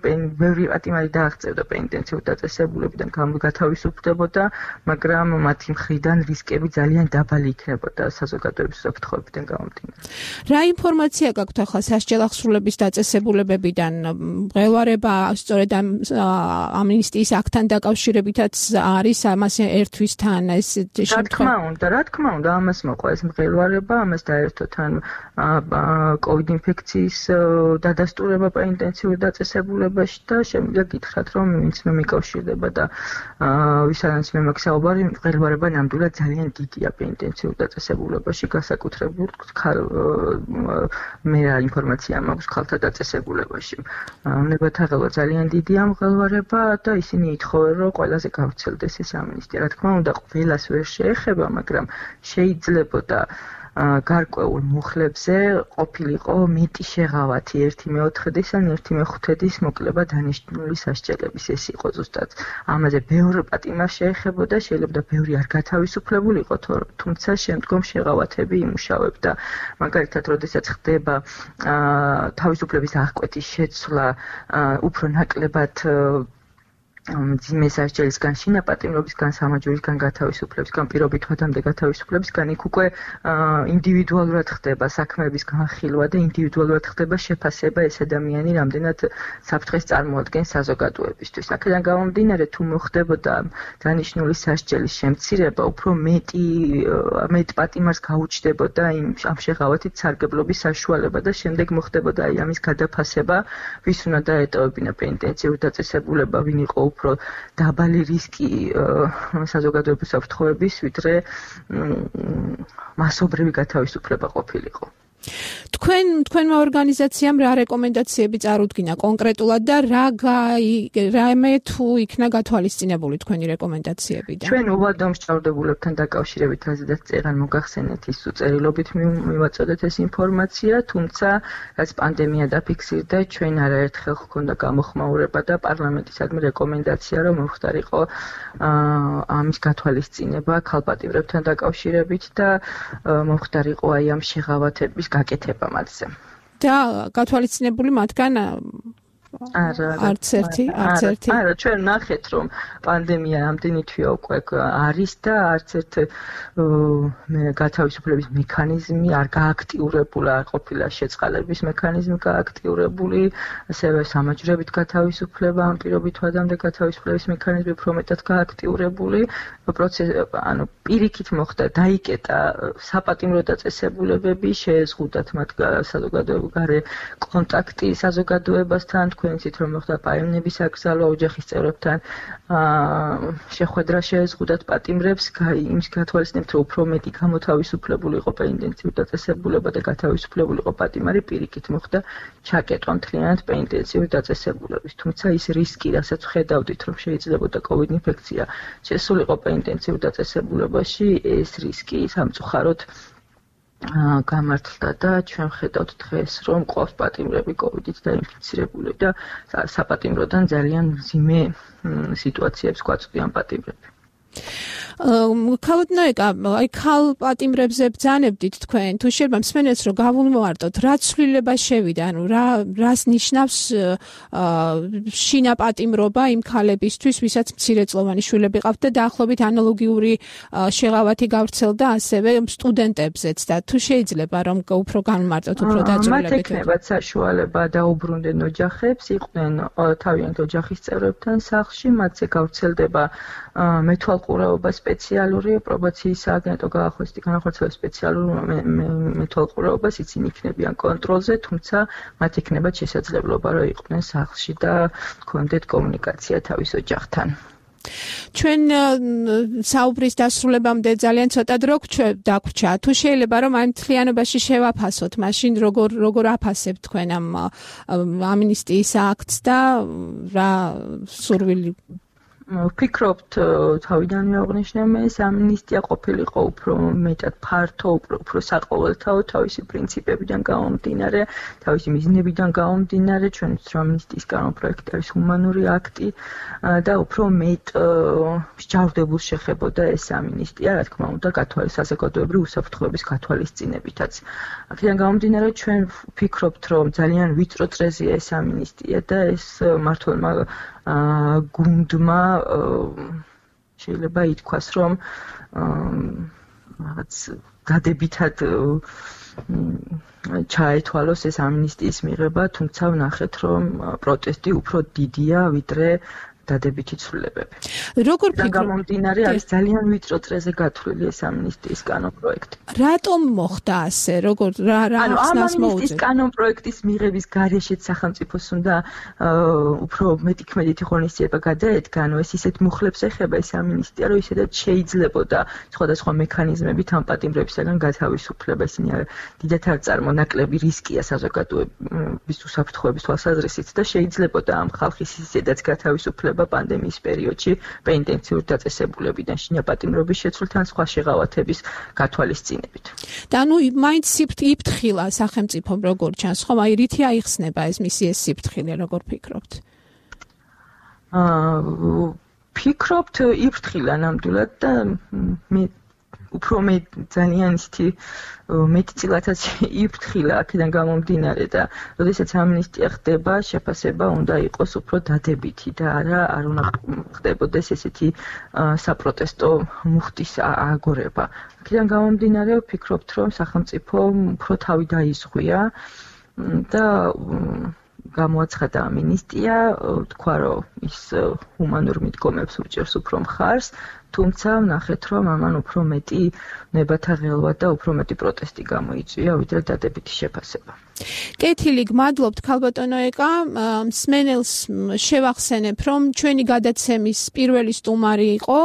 Speaker 2: პატიმარი პატიმარი დააღწევდა პენიტენციურ დაწესებულებიდან გათავისუფლდებოდა, მაგრამ მათი მხრიდან რისკები ძალიან დაბალი იქნებოდა საზოგადოების უსაფრთხოებიდან გამომდინარე.
Speaker 1: რა ინფორმაცია გაქვთ ახლა სასჯელ აღსრულების დაწესებულებებიდან? მღელვარება სწორედ ამ ამნისტიის აქტთან დაკავშირებითაც არის ამას ერთვისთან ეს
Speaker 2: შემთხვევა? რა თქმა უნდა, ამას მოყვა ეს მღელვარება, ამას დაერთო თან COVID ინფექციის დადასტურება პენიტენციურ დაწესებულებაში და შემიძლია გითხრათ, რომ ვინც მე მიკავშირდება და ვისაც მე მაქვს საუბარი, მღელვარება ნამდვილად ძალიან დიდია პენიტენციურ დაწესებულებაში, განსაკუთრებით მე რა ინფორმაცია მაქვს ხალხთა დაწესებულებაში. ნებათაღელვა ძალიან დიდია მღელვარება და ისინი ითხოვენ, რომ ყველაზე გავრცელდეს ეს ამნისტია. რა თქმა უნდა, ყველას ვერ შეეხება, მაგრამ შეიძლებოდა გარკვეულ მუხლებზე ყოფილიყო მეტი შეღავათი 1/4-დის ან 1/5-დის მოკლება დანიშნული სასჯელების. ეს იყო ზუსტად ამაზე ბევრი პატიმარს შეეხებოდა, შეიძლება ბევრი არ გათავისუფლებულიყო, თუმცა შემდგომ შეღავათები იმუშავებდა. მაგალითად, როდესაც ხდება თავისუფლების აღკვეთის შეცვლა უფრო ნაკლებად მძიმე სასჯელისგან, შინაპატიმრობისგან, სამაჯურისგან გათავისუფლებისგან, პირობით ვადამდე გათავისუფლებისგან, იქ უკვე ინდივიდუალურად ხდება საქმეების განხილვა და ინდივიდუალურად ხდება შეფასება ეს ადამიანი რამდენად საფრთხეს წარმოადგენს საზოგადოებისთვის. აქედან გამომდინარე, თუ მოხდებოდა დანიშნული სასჯელის შემცირება, უფრო მეტ პატიმარს გაუჩნდებოდა ამ შეღავათით სარგებლობის საშუალება და შემდეგ მოხდებოდა ამის გადაფასება, ვის უნდა დაეტოვებინა პენიტენციურ დაწესებულება, ვინ იყო უფრო დაბალი რისკი საზოგადოების უსაფრთხოების, ვიდრე მასობრივი გათავისუფლება ყოფილიყო.
Speaker 1: თქვენმა ორგანიზაციამ რა რეკომენდაციები წარუდგინა კონკრეტულად და რამე თუ იქნა გათვალისწინებული თქვენი რეკომენდაციებიდან?
Speaker 2: ჩვენ უვადო მსჯავრდებულებთან დაკავშირებით აზრდაც წერან მოგახსენეთ ის უწერილობით მივაწოდეთ ეს ინფორმაცია, თუმცა რაც პანდემია დაფიქსირდა, ჩვენ არაერთხელ ჰქონდა გამოხმაურება და პარლამენტისადმი რეკომენდაცია, რომ მოხდარიყო ამის გათვალისწინება ქალპატიმრებთან დაკავშირებით და მოხდარიყო აი ამ შეღავათების გაკეთება მათზე.
Speaker 1: და გათვალისწინებული მათგან არც ერთი.
Speaker 2: არა, ჩვენ ნახეთ, რომ პანდემია ამდენი თვეა უკვე არის და არც ერთ გათავისუფლების მექანიზმი არ გააქტიურებულა, არ ყოფილა შეწყალების მექანიზმი გააქტიურებული, ასევე სამაჯრებით გათავისუფლება, ამ პირობით ვადამდე გათავისუფლების მექანიზმი უფრო მეტად გააქტიურებული, პირიქით მოხდა, დაიკეტა საპატიმრო დაწესებულებები, შეეზღუდათ მათ საზოგადოებრივი კონტაქტი საზოგადოებასთან, თქვენ იცით, რომ მოხდა პაემნების აკრძალვა ოჯახის წევრებთან შეხვედრა შეეზღუდათ პატიმრებს, იმის გათვალისწინებთ, რომ უფრო მეტი გამოთავისუფლებული იყო პენიტენციურ დაწესებულება და გათავისუფლებული იყო პატიმარი, პირიქით მოხდა ჩაკეტვა მთლიანად პენიტენციურ დაწესებულების. თუმცა ის რისკი, რასაც ხედავდით, რომ შეიძლებოდა COVID ინფექცია შესულიყო პენიტენციურ დაწესებულებაში, ეს რისკი სამწუხაროდ გამართლდა და ჩვენ ხედავთ დღეს, რომ ყავს პატიმრები COVID-ით დაინფიცირებული და საპატიმროდან ძალიან მძიმე სიტუაციებს გვაწვდიან პატიმრები.
Speaker 1: ქალბატონო, აი ქალპატიმრებზე ბრძანებდით თქვენ, თუ შეიძლება მსმენელს რომ გავუმოვარტოთ, რა ცვლილება შევიდა, ანუ რას ნიშნავს შინაპატიმრობა იმ ქალებისთვის, ვისაც მცირეწლოვანი შვილები ყავთ და დაახლოებით ანალოგიური შეღავათი გავრცელდა ასევე სტუდენტებზეც და თუ შეიძლება რომ უფრო განმარტოთ, უფრო დაწვრილებით.
Speaker 2: მათ ექნებათ საშუალება დაუბრუნდნენ ოჯახებს, იყვნენ თავიანთ ოჯახის წევრებთან სახლში, მათზე გავრცელდება მეთვალყურეობა სპეციალური პრობაციის სააგენტო განახორციელებს სპეციალურ მეთვალყურეობას, ისინი იქნებიან კონტროლზე, თუმცა მათ ექნებათ შესაძლებლობა, რომ იყვნენ სახლში და ჰქონდეთ კომუნიკაცია თავის ოჯახთან.
Speaker 1: ჩვენ საუბრის დასრულებამდე ძალიან ცოტა დრო დაგვრჩა. თუ შეიძლება რომ ამ მთლიანობაში შევაფასოთ, მაშინ როგორ აფასებთ თქვენ ამ ამნისტიის აქტს და რა სურვილი
Speaker 2: ვფიქრობთ, თავიდანვე აღნიშნე მე, ეს ამნისტია ყოფილიყო უფრო მეტად ფართო, უფრო საყოველთაო თავისი პრინციპებიდან გამომდინარე, თავისი მიზნებიდან გამომდინარე, ჩვენ ვიცით, რომ ამნისტიის კანონპროექტი არის ჰუმანური აქტი და უფრო მეტ მსჯავრდებულს შეხებოდა ეს ამნისტია, რა თქმა უნდა, საზოგადოებრივი უსაფრთხოების გათვალისწინებითაც. აქედან გამომდინარე, ჩვენ ვფიქრობთ, რომ ძალიან ვიწრო წრეზია ეს ამნისტია და ეს მართლმა გუნდმა შეიძლება ითქვას, რომ რაღაც დადებითად ჩაეთვალოს ეს ამნისტიის მიღება, თუმცა ვნახეთ, რომ პროტესტი უფრო დიდია, ვიდრე დადებითი ცვლილებები.
Speaker 1: როგორ ფიქრობთ?
Speaker 2: გამომდინარე არის ძალიან ვიწრო წრეზე გათვლილი ეს ამნისტიის კანონპროექტი.
Speaker 1: რატომ მოხდა ასე? როგორ რა ახსნას მოუწევთ?
Speaker 2: ამნისტიის კანონპროექტის მიღების გარეშეც სახელმწიფოს უნდა უფრო მეტი ღონისძიება გადაედგა, ანუ ეს ისეთ მუხლებს ეხება ეს ამნისტია, რომ ისედაც შეიძლებოდა სხვადასხვა მექანიზმებით ამ პატიმრებისაგან გათავისუფლება. ისინი დიდად არ წარმონაკლები რისკია საზოგადოების უსაფრთხოების თვალსაზრისით და შეიძლებოდა ამ ხალხის ისედაც გათავისუფლება პანდემიის პერიოდში პენიტენციურ დაწესებულებიდან შინაპატიმრობის შეცვლთან სხვა შეღავათების გათვალისწინებით.
Speaker 1: და ნუ მაინც იფრთხილა სახელმწიფომ როგორ ჩანს, ხომ აი რითი აიხსნება ეს მისი ეს სიფრთხილე, როგორ ფიქრობთ?
Speaker 2: ფიქრობთ იფრთხილა ნამდვილად და მე უფრო ძალიან ისეთი მეტწილადაც იფრთხილა აქედან გამომდინარე და როდესაც ამნისტია ხდება, შეფასება უნდა იყოს უფრო დადებითი და არ უნდა ხდებოდეს ესეთი საპროტესტო მუხტის აგორება. აქედან გამომდინარე ვფიქრობთ, რომ სახელმწიფო უფრო თავი დაიზღვია და გამოაცხადა ამინისტია, თქვა, რომ ის ჰუმანურ მიდგომებს უჭერს უფრო მხარს, თუმცა ვნახეთ, რომ ამან უფრო მეტი ნებათა ღელვა და უფრო მეტი პროტესტი გამოიწვია, ვიდრე დადებითი შეფასება.
Speaker 1: კეთილი, გმადლობთ ქალბატონო ეკა, მსმენელს შევახსენებ, რომ ჩვენი გადაცემის პირველი სტუმარი იყო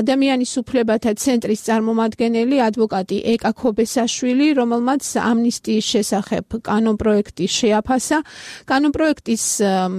Speaker 1: ადამიანის უფლებათა ცენტრის წარმომადგენელი ადვოკატი ეკა ქობესაშვილი, რომელმაც ამნისტიის შესახებ კანონპროექტი შეაფასა. კანონპროექტის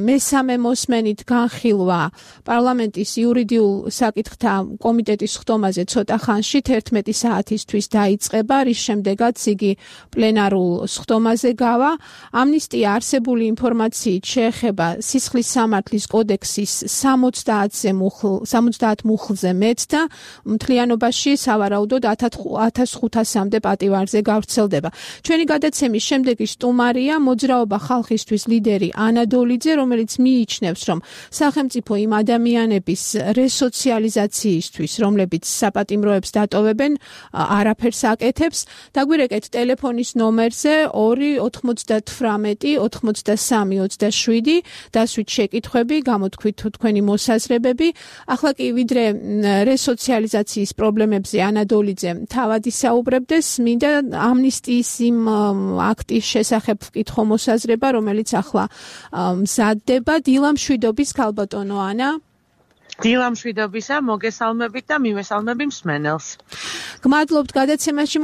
Speaker 1: მესამე მოსმენით განხილვა პარლამენტის იურიდიულ საკითხთა კომიტეტის ხდომაზე ცოტა ხანში 11 საათისთვის დაიწყება, რის შემდეგაც იგი პლენარულ ხდომაზე გავა. ამნისტია არსებული ინფორმაციით შეეხება სისხლის სამართლის კოდექსის 70 მუხლზე მეტ და მთლიანობაში სავარაუდოდ 1500-მდე პატივარზე გავრცელდება. ჩვენი გადაცემის შემდეგი სტუმარია მოძრაობა ხალხისთვის ლიდერი ანა დოლიძე, რომელიც მიიჩნევს, რომ სახელმწიფო იმ ადამიანების რესოციალიზაციისთვის, რომლებიც საპატიმროებს დატოვებენ, არაფერს აკეთებს. დაგვირეკეთ ტელეფონის ნომერზე 2-98-83-27 დასვით შეკითხვები, გამოთქვით თქვენი მოსაზრებები. ახლა კი ვიდრე რესოციალიზაციის პრობლემებზე ანა დოლიძე თავად ისაუბრებდეს, მინდა ამნისტიის იმ აქტის შესახებ ვკითხო მოსაზრება, რომელიც ახლა მზადდება. დილამშვიდობის ქალბატონო ანა.
Speaker 4: დილამშვიდობისა, მოგესალმებით და მივესალმები მსმენელს.
Speaker 1: გმადლობთ გადაცემაში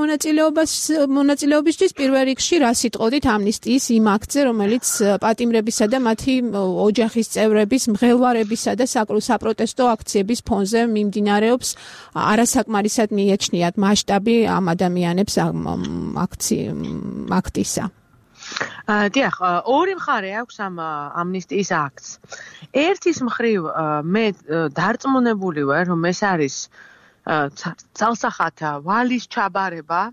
Speaker 1: მონაწილეობისთვის. პირველ რიგში რა სიტყოდით ამნისტიის იმ აქტზე, რომელიც პატიმრებისა და მათი ოჯახის წევრების მღელვარებისა და საპროტესტო აქციების ფონზე მიმდინარეობს, არასაკმარისად მიეჩნიათ მასშტაბი ამ ადამიანებს აქტისა.
Speaker 4: დიახ, ორი მხარე აქვს ამ ამნისტიის აქტს. ერთის მხრივ მე დარწმუნებული ვარ, რომ ეს არის ძალსახათა ვალის ჩაბარება,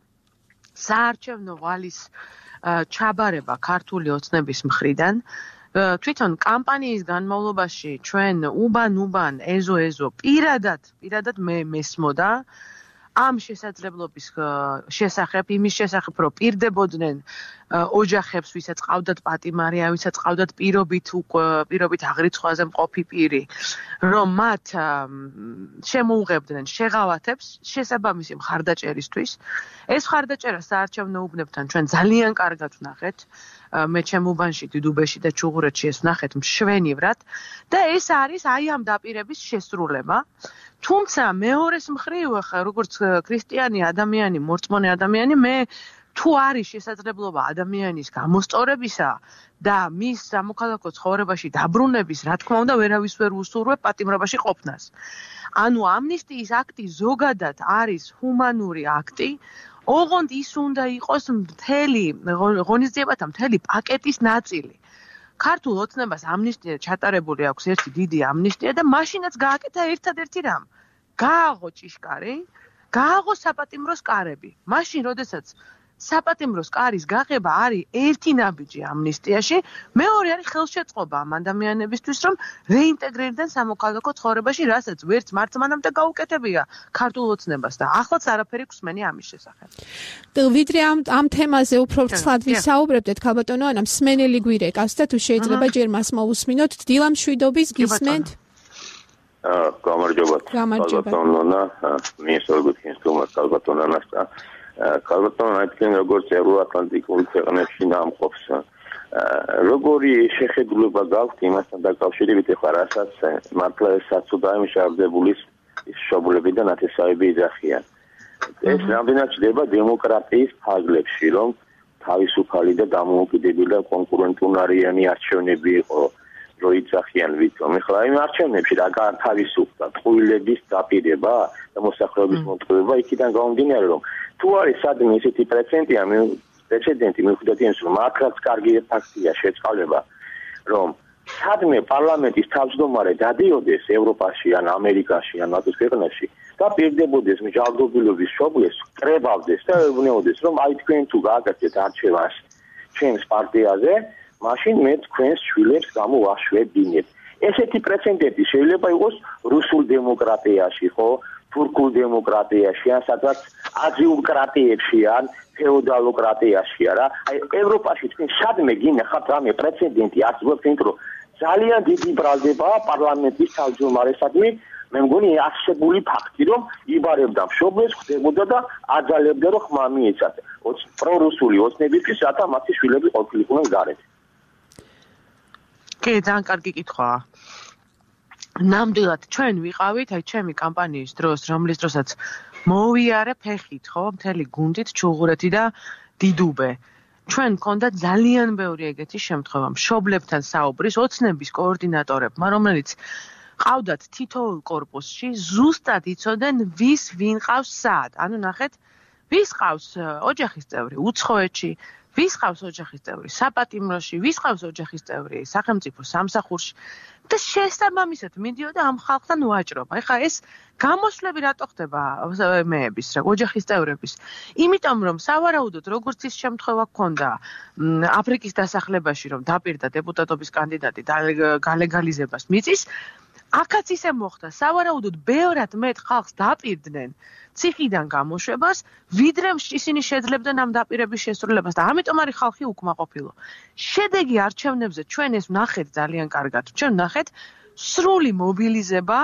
Speaker 4: საარჩევნო ვალის ჩაბარება ქართული ოცნების მხრიდან. თვითონ კამპანიის განმავლობაში ჩვენ უბან ეზო პირადად მე მესმოდა ამ შესაძლებლობის შესახებ, იმის შესახებ, რომ პირდებოდნენ ოჯახებს, ვისაც ყავდათ პატიმარი, ვისაც ყავდათ პირობით აღრიცხვაზე მყოფი პირი, რომ მათ შემოუღებდნენ შეღავათებს შესაბამისი მხარდაჭერისთვის. ეს მხარდაჭერა საარჩევნო უბნებთან ჩვენ ძალიან კარგად ვნახეთ. მე ჩემ უბანში, დიდუბეში და ჩუღურეთში ეს ვნახეთ მშვენივრად და ეს არის აი ამ დაპირების შესრულება. თუმცა მეორეს მხრივ, როგორც ქრისტიანი ადამიანი, მორწმუნე ადამიანი, მე თუ არის შესაძლებლობა ადამიანის გამოსწორებისა და მის სამოქალაქო ცხოვრებაში დაბრუნების, რა თქმა უნდა, ვერავის ვერ უსურვებ პატიმრობაში ყოფნას. ანუ ამნისტიის აქტი ზოგადად არის ჰუმანური აქტი, ოღონდ ის უნდა იყოს მთელი ღონისძიებათა მთელი პაკეტის ნაწილი. ქართულ ოცნებას ამნისტია ჩატარებული აქვს ერთი დიდი ამნისტია და მაშინაც გააკეთა ერთადერთი რამ. გააღო ჭიშკარი, გააღო საპატიმროს კარები. მაშინ, როდესაც საპატიმროს კარის გაღება არის ერთი ნაბიჯი ამნისტიაში, მეორე არის ხელშეწყობა ამ ადამიანებისთვის, რომ რეინტეგრირდნენ სამოქალაქო ცხოვრებაში, რასაც ვერც მართლმანამდე გაუკეთებია ქართულ ოცნებას და ახლაც არაფერი გვსმენი ამის შესახებ.
Speaker 1: ვიდრე ამ თემაზე უფრო ცალად ვისაუბრებდეთ, ქალბატონო ანა, მსმენელი გვირეკავს და თუ შეიძლება ჯერ მას მოусმინოთ. დილა მშვიდობის გისმენთ?
Speaker 5: გამარჯობა. ქალბატონონა, მიესალმებით თუმას ქალბატონანას და ქალბატონო აიტკენ როგორც ევროატლანტიკური ქვეყნებში ნამყოფს. როგორი შეხედულება გაქვთ იმასთან დაკავშირებით, ეხლა რასაც მართლა საცუდაი მშაბდებული შობლები და ნათესავები იძახიან. ეს რამდენად ჩდება დემოკრატიის ფარგლებში, რომ თავისუფალი და დამოუკიდებელი და კონკურენტუნარიანი არჩევნები იყო, რომ იძახიან ვითომ. ეხლა იმ არჩევნებში რა გათავისუფლდა ტყუილების დაპირება და მოსახლეობის მოტყუება იქიდან გამომდინარე, რომ თუ არის სადმე ესეთი პრეცედენტი მიუხედავად იმისა, რომ მართლაც კარგი ფაქტია შეწყალება, რომ სადმე პარლამენტის თავმჯდომარე დადიოდეს ევროპაში ან ამერიკაში ან ნატოს ქვეყნებში და პირდებოდეს მსჯავრდობილობის შობლებს, კრებავდეს და ეუბნეოდეს, რომ აი თქვენ თუ გააკეთეთ არჩევანს ჩემს პარტიაზე, მაშინ მე თქვენს შვილებს გამოვაშვებინებ. ესეთი პრეცედენტი შეიძლება იყოს რუსულ დემოკრატიაში, ხო? თურქულ დემოკრატიაში, ან სადაც აზიურკრატიებში, ან ფეოდალოკრატიაშია რა. აი ევროპაში თქვენ სადმე გინახავთ რამე პრეცედენტი არსებობს, იმიტომ რომ ძალიან დიდი ბრალდებაა პარლამენტის თავმჯდომარესადმი, მე მგონი არსებული ფაქტი, რომ იბარებდა მშობლებს, ხდებოდა და აძალებდა, რომ ხმა მიეცათ პრორუსული ოცნებისთვის, რათა მათი შვილები ყოფილიყვნენ გარეთ.
Speaker 4: კი, ძალიან კარგი კითხვაა. ნამდვილად ჩვენ ვიყავით აი ჩემი კამპანიის დროს, რომლის დროსაც მოვიარე ფეხით, ხო, მთელი გუნდით ჩუღურეთი და დიდუბე. ჩვენ მქონდა ძალიან ბევრი ეგეთი შემთხვევა, მშობლებთან საუბრის, ოცნების კოორდინატორებმა, რომელიც ყავდათ თითოეულ კორპუსში, ზუსტად იცოდნენ ვის ვინ ყავს სად. ანუ ნახეთ, ვის ყავს ოჯახის წევრი უცხოეთში, ვის ყავს ოჯახის წევრი საპატიმროში, ვის ყავს ოჯახის წევრი სახელმწიფო სამსახურში და შესაბამისად მიდიოდა ამ ხალხთან ვაჭრობა. ეხლა ეს გამოსვლები რატო ხდება მეების, ოჯახის წევრების? იმიტომ რომ სავარაუდოდ როგორც ის შემთხვევა გქონდა აფრიკის დასახლებაში, რომ დაპირდა დეპუტატობის კანდიდატი და გალეგალიზებას მიწის, აქაც ისე მოხდა, სავარაუდოდ ბევრად მეტ ხალხს დაპირდნენ ციხიდან გამოშვებას, ვიდრე ისინი შეძლებდნენ ამ დაპირების შესრულებას და ამიტომ არის ხალხი უკმაყოფილო. შედეგი არჩევნებზე ჩვენ ეს ვნახეთ ძალიან კარგად. ჩვენ ვნახეთ სრული მობილიზება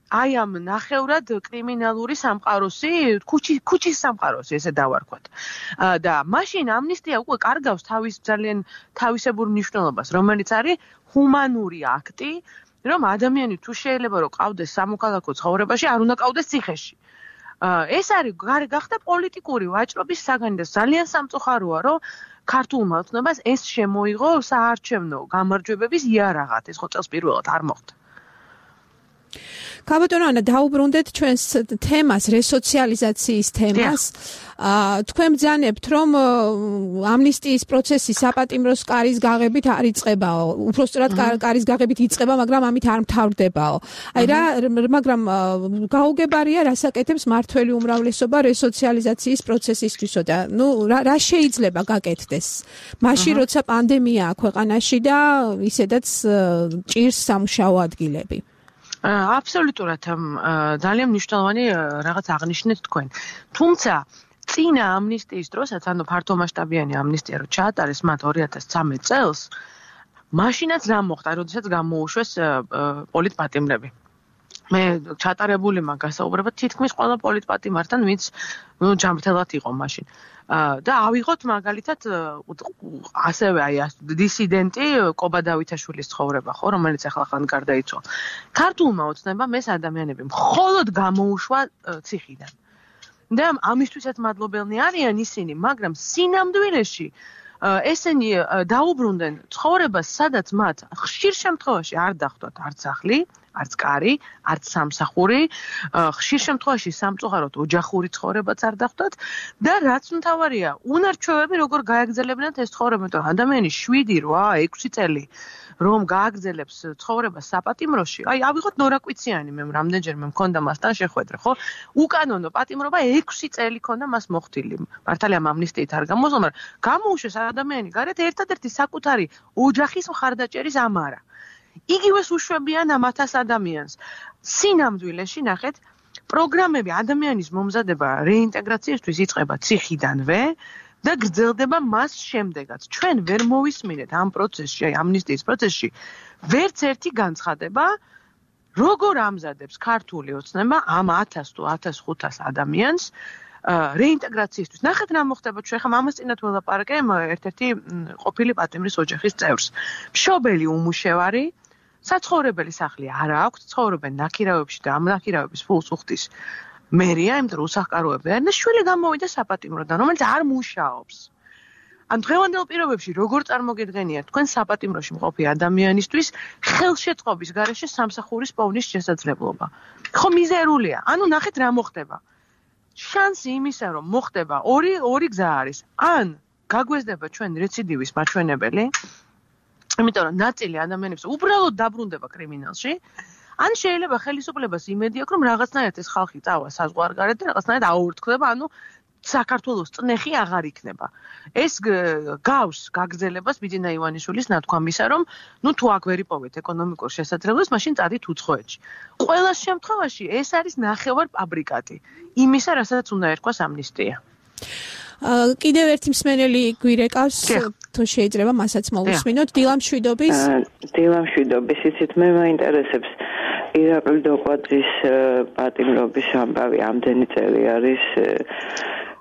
Speaker 4: აი ამ ნახევრად კრიმინალური სამყაროსი, ქუჩის სამყაროსი, ესე დავარქვათ. და მაშინ ამნისტია უკვე კარგავს თავის ძალიან თავისებურ მნიშვნელობას, რომელიც არის ჰუმანური აქტი, რომ ადამიანი თუ შეიძლება რომ ყავდეს სამოქალაქო ცხოვრებაში, არ უნდა ყავდეს ციხეში. ეს არის გახდა პოლიტიკური ვაჭრობის საგანი და ძალიან სამწუხაროა, რომ ქართულმა ოცნებას ეს შემოიღო საარჩევნო გამარჯვებების იარაღად. ეს ხო წელს პირველად არ მოხდა.
Speaker 1: ქალბატონო ანა, დაუბრუნდეთ ჩვენს თემას, რესოციალიზაციის თემას. თქვენ ბრძანებთ, რომ ამნისტიის პროცესი საპატიმროს კარის გაღებით არ იწყებაო. უпростоრად კარის გაღებით იწყება, მაგრამ ამით არ მთავრდებაო. აი მაგრამ გაუგებარია, რასაკეთებს მართველი უმრავლესობა რესოციალიზაციის პროცესისთვისო და რა შეიძლება გაკეთდეს? მაშინ როცა პანდემიაა ქვეყანაში და ისედაც ჭირს სამუშაო ადგილები.
Speaker 4: აბსოლუტურად ძალიან მნიშვნელოვანი რაღაც აღნიშნეთ თქვენ. თუმცა წინა ამნისტიის დროსაც, ანუ ფართომასშტაბიანი ამნისტია რო ჩაატარეს მათ 2013 წელს, მაშინაც რა მოხდა, როდესაც გამოუშვეს პოლიტპატიმრები. მე ჩატარებული მაგასაუბრება თითქმის ყველა პოლიტპატიმართან, ვინც ჯანმრთელად იყო მაშინ. და ავიღოთ მაგალითად ასევე აი დისიდენტი კობა დავითაშვილის ცხოვრება, ხო, რომელიც ახლა გარდაიცვალა. ქართულმა ოცნებამ ეს ადამიანები მხოლოდ გამოუშვა ციხიდან. და ამისთვისაც მადლობელნი არიან ისინი, მაგრამ სინამდვილეში ესენი დაუბრუნდნენ ცხოვრებას, სადაც მათ ხშირ შემთხვევაში არ დახვდათ არც სახლი, არც კარი, არც სამსახური, ხშირ შემთხვევაში სამწუხაროდ ოჯახური ცხოვრებაც არ დახვდათ და რაც მთავარია, უნარჩვევები როგორ გააგრძელებინათ ეს ცხოვრება, იმიტომ რომ ადამიანი 7, 8, 6 წელი რომ გააგრძელებს ცხოვრებას საპატიმროში, აი ავიღოთ ნორაკვიციანი, მე რამდენჯერმე მქონდა მასთან შეხვედრა, ხო? უკანონო პატიმრობა 6 წელი ქონდა მას მოხდილი. მართალია ამნისტიით არ გამოსულა, მაგრამ გამოუშვეს ადამიანი გარეთ ერთადერთი საკუთარი ოჯახის მხარდაჭერის ამარა. იგივეს უშვებიან ამ 1000 ადამიანს. სინამდვილეში ნახეთ, პროგრამები ადამიანის მომზადება რეინტეგრაციისთვის იწყება ციხიდანვე და გრძელდება მას შემდეგაც. ჩვენ ვერ მოვისმინეთ ამ პროცესში, აი ამნისტიის პროცესში, ვერც ერთი განცხადება, როგორ ამზადებს ქართული ოცნება ამ 1000 თუ 1500 ადამიანს რეინტეგრაციისთვის. ნახეთ რა მოხდება, ჩვენ ხომ ამას წინათ ველაპარაკე ერთ-ერთი ყოფილი პატიმრის ოჯახის წევრს. მშობელი უმუშევარი, საცხოვრებელი სახლი არ აქვს, ცხოვრობენ ნაქირავებში და ამ ნაქირავების ფულს უხდის მერია, იმიტომ რომ უსახკაროები არიან და შვილი გამოვიდა საპატიმროდან, რომელიც არ მუშაობს. ან დღევანდელ პირობებში როგორ წარმოგიდგენიათ თქვენ საპატიმროში მყოფი ადამიანისთვის ხელშეწყობის გარეშე სამსახურის პოვნის შესაძლებლობა? ხო მიზერულია. ანუ ნახეთ რა მოხდება. შანსი იმისა, რომ მოხდება ორი გზა არის. ან გაგვეზდება ჩვენ რეციდივის მაჩვენებელი, იმიტომ რომ ნაწილი ადამიანებს უბრალოდ დაბრუნდება კრიმინალში, ან შეიძლება ხელისუფლებას იმედი აქვს, რომ რაღაცნაირად ეს ხალხი წავა საზღვარგარეთ და რაღაცნაირად აურთქდება, ანუ საქართველოს წნეხი აღარ იქნება. ეს გავს გაგრძელებას ბიძინა ივანიშვილის ნათქვამისა, რომ ნუ თუ აქ ვერ იპოვეთ ეკონომიკურ შესაძლებლობას, მაშინ წადით უცხოეთში. ყველა შემთხვევაში ეს არის ნახევარ ფაბრიკატი იმისა, რასაც უნდა ერქვას ამნისტია.
Speaker 1: კიდევ ერთი მსმენელი გვირეკავს, თუ შეიძლება მასაც მოვუსმინოთ. დილამშვიდობის.
Speaker 6: დილამშვიდობის, იცით მე მაინტერესებს ირაკლი დოკვაძის პატიმრობის ამბავი ამდენი წელი არის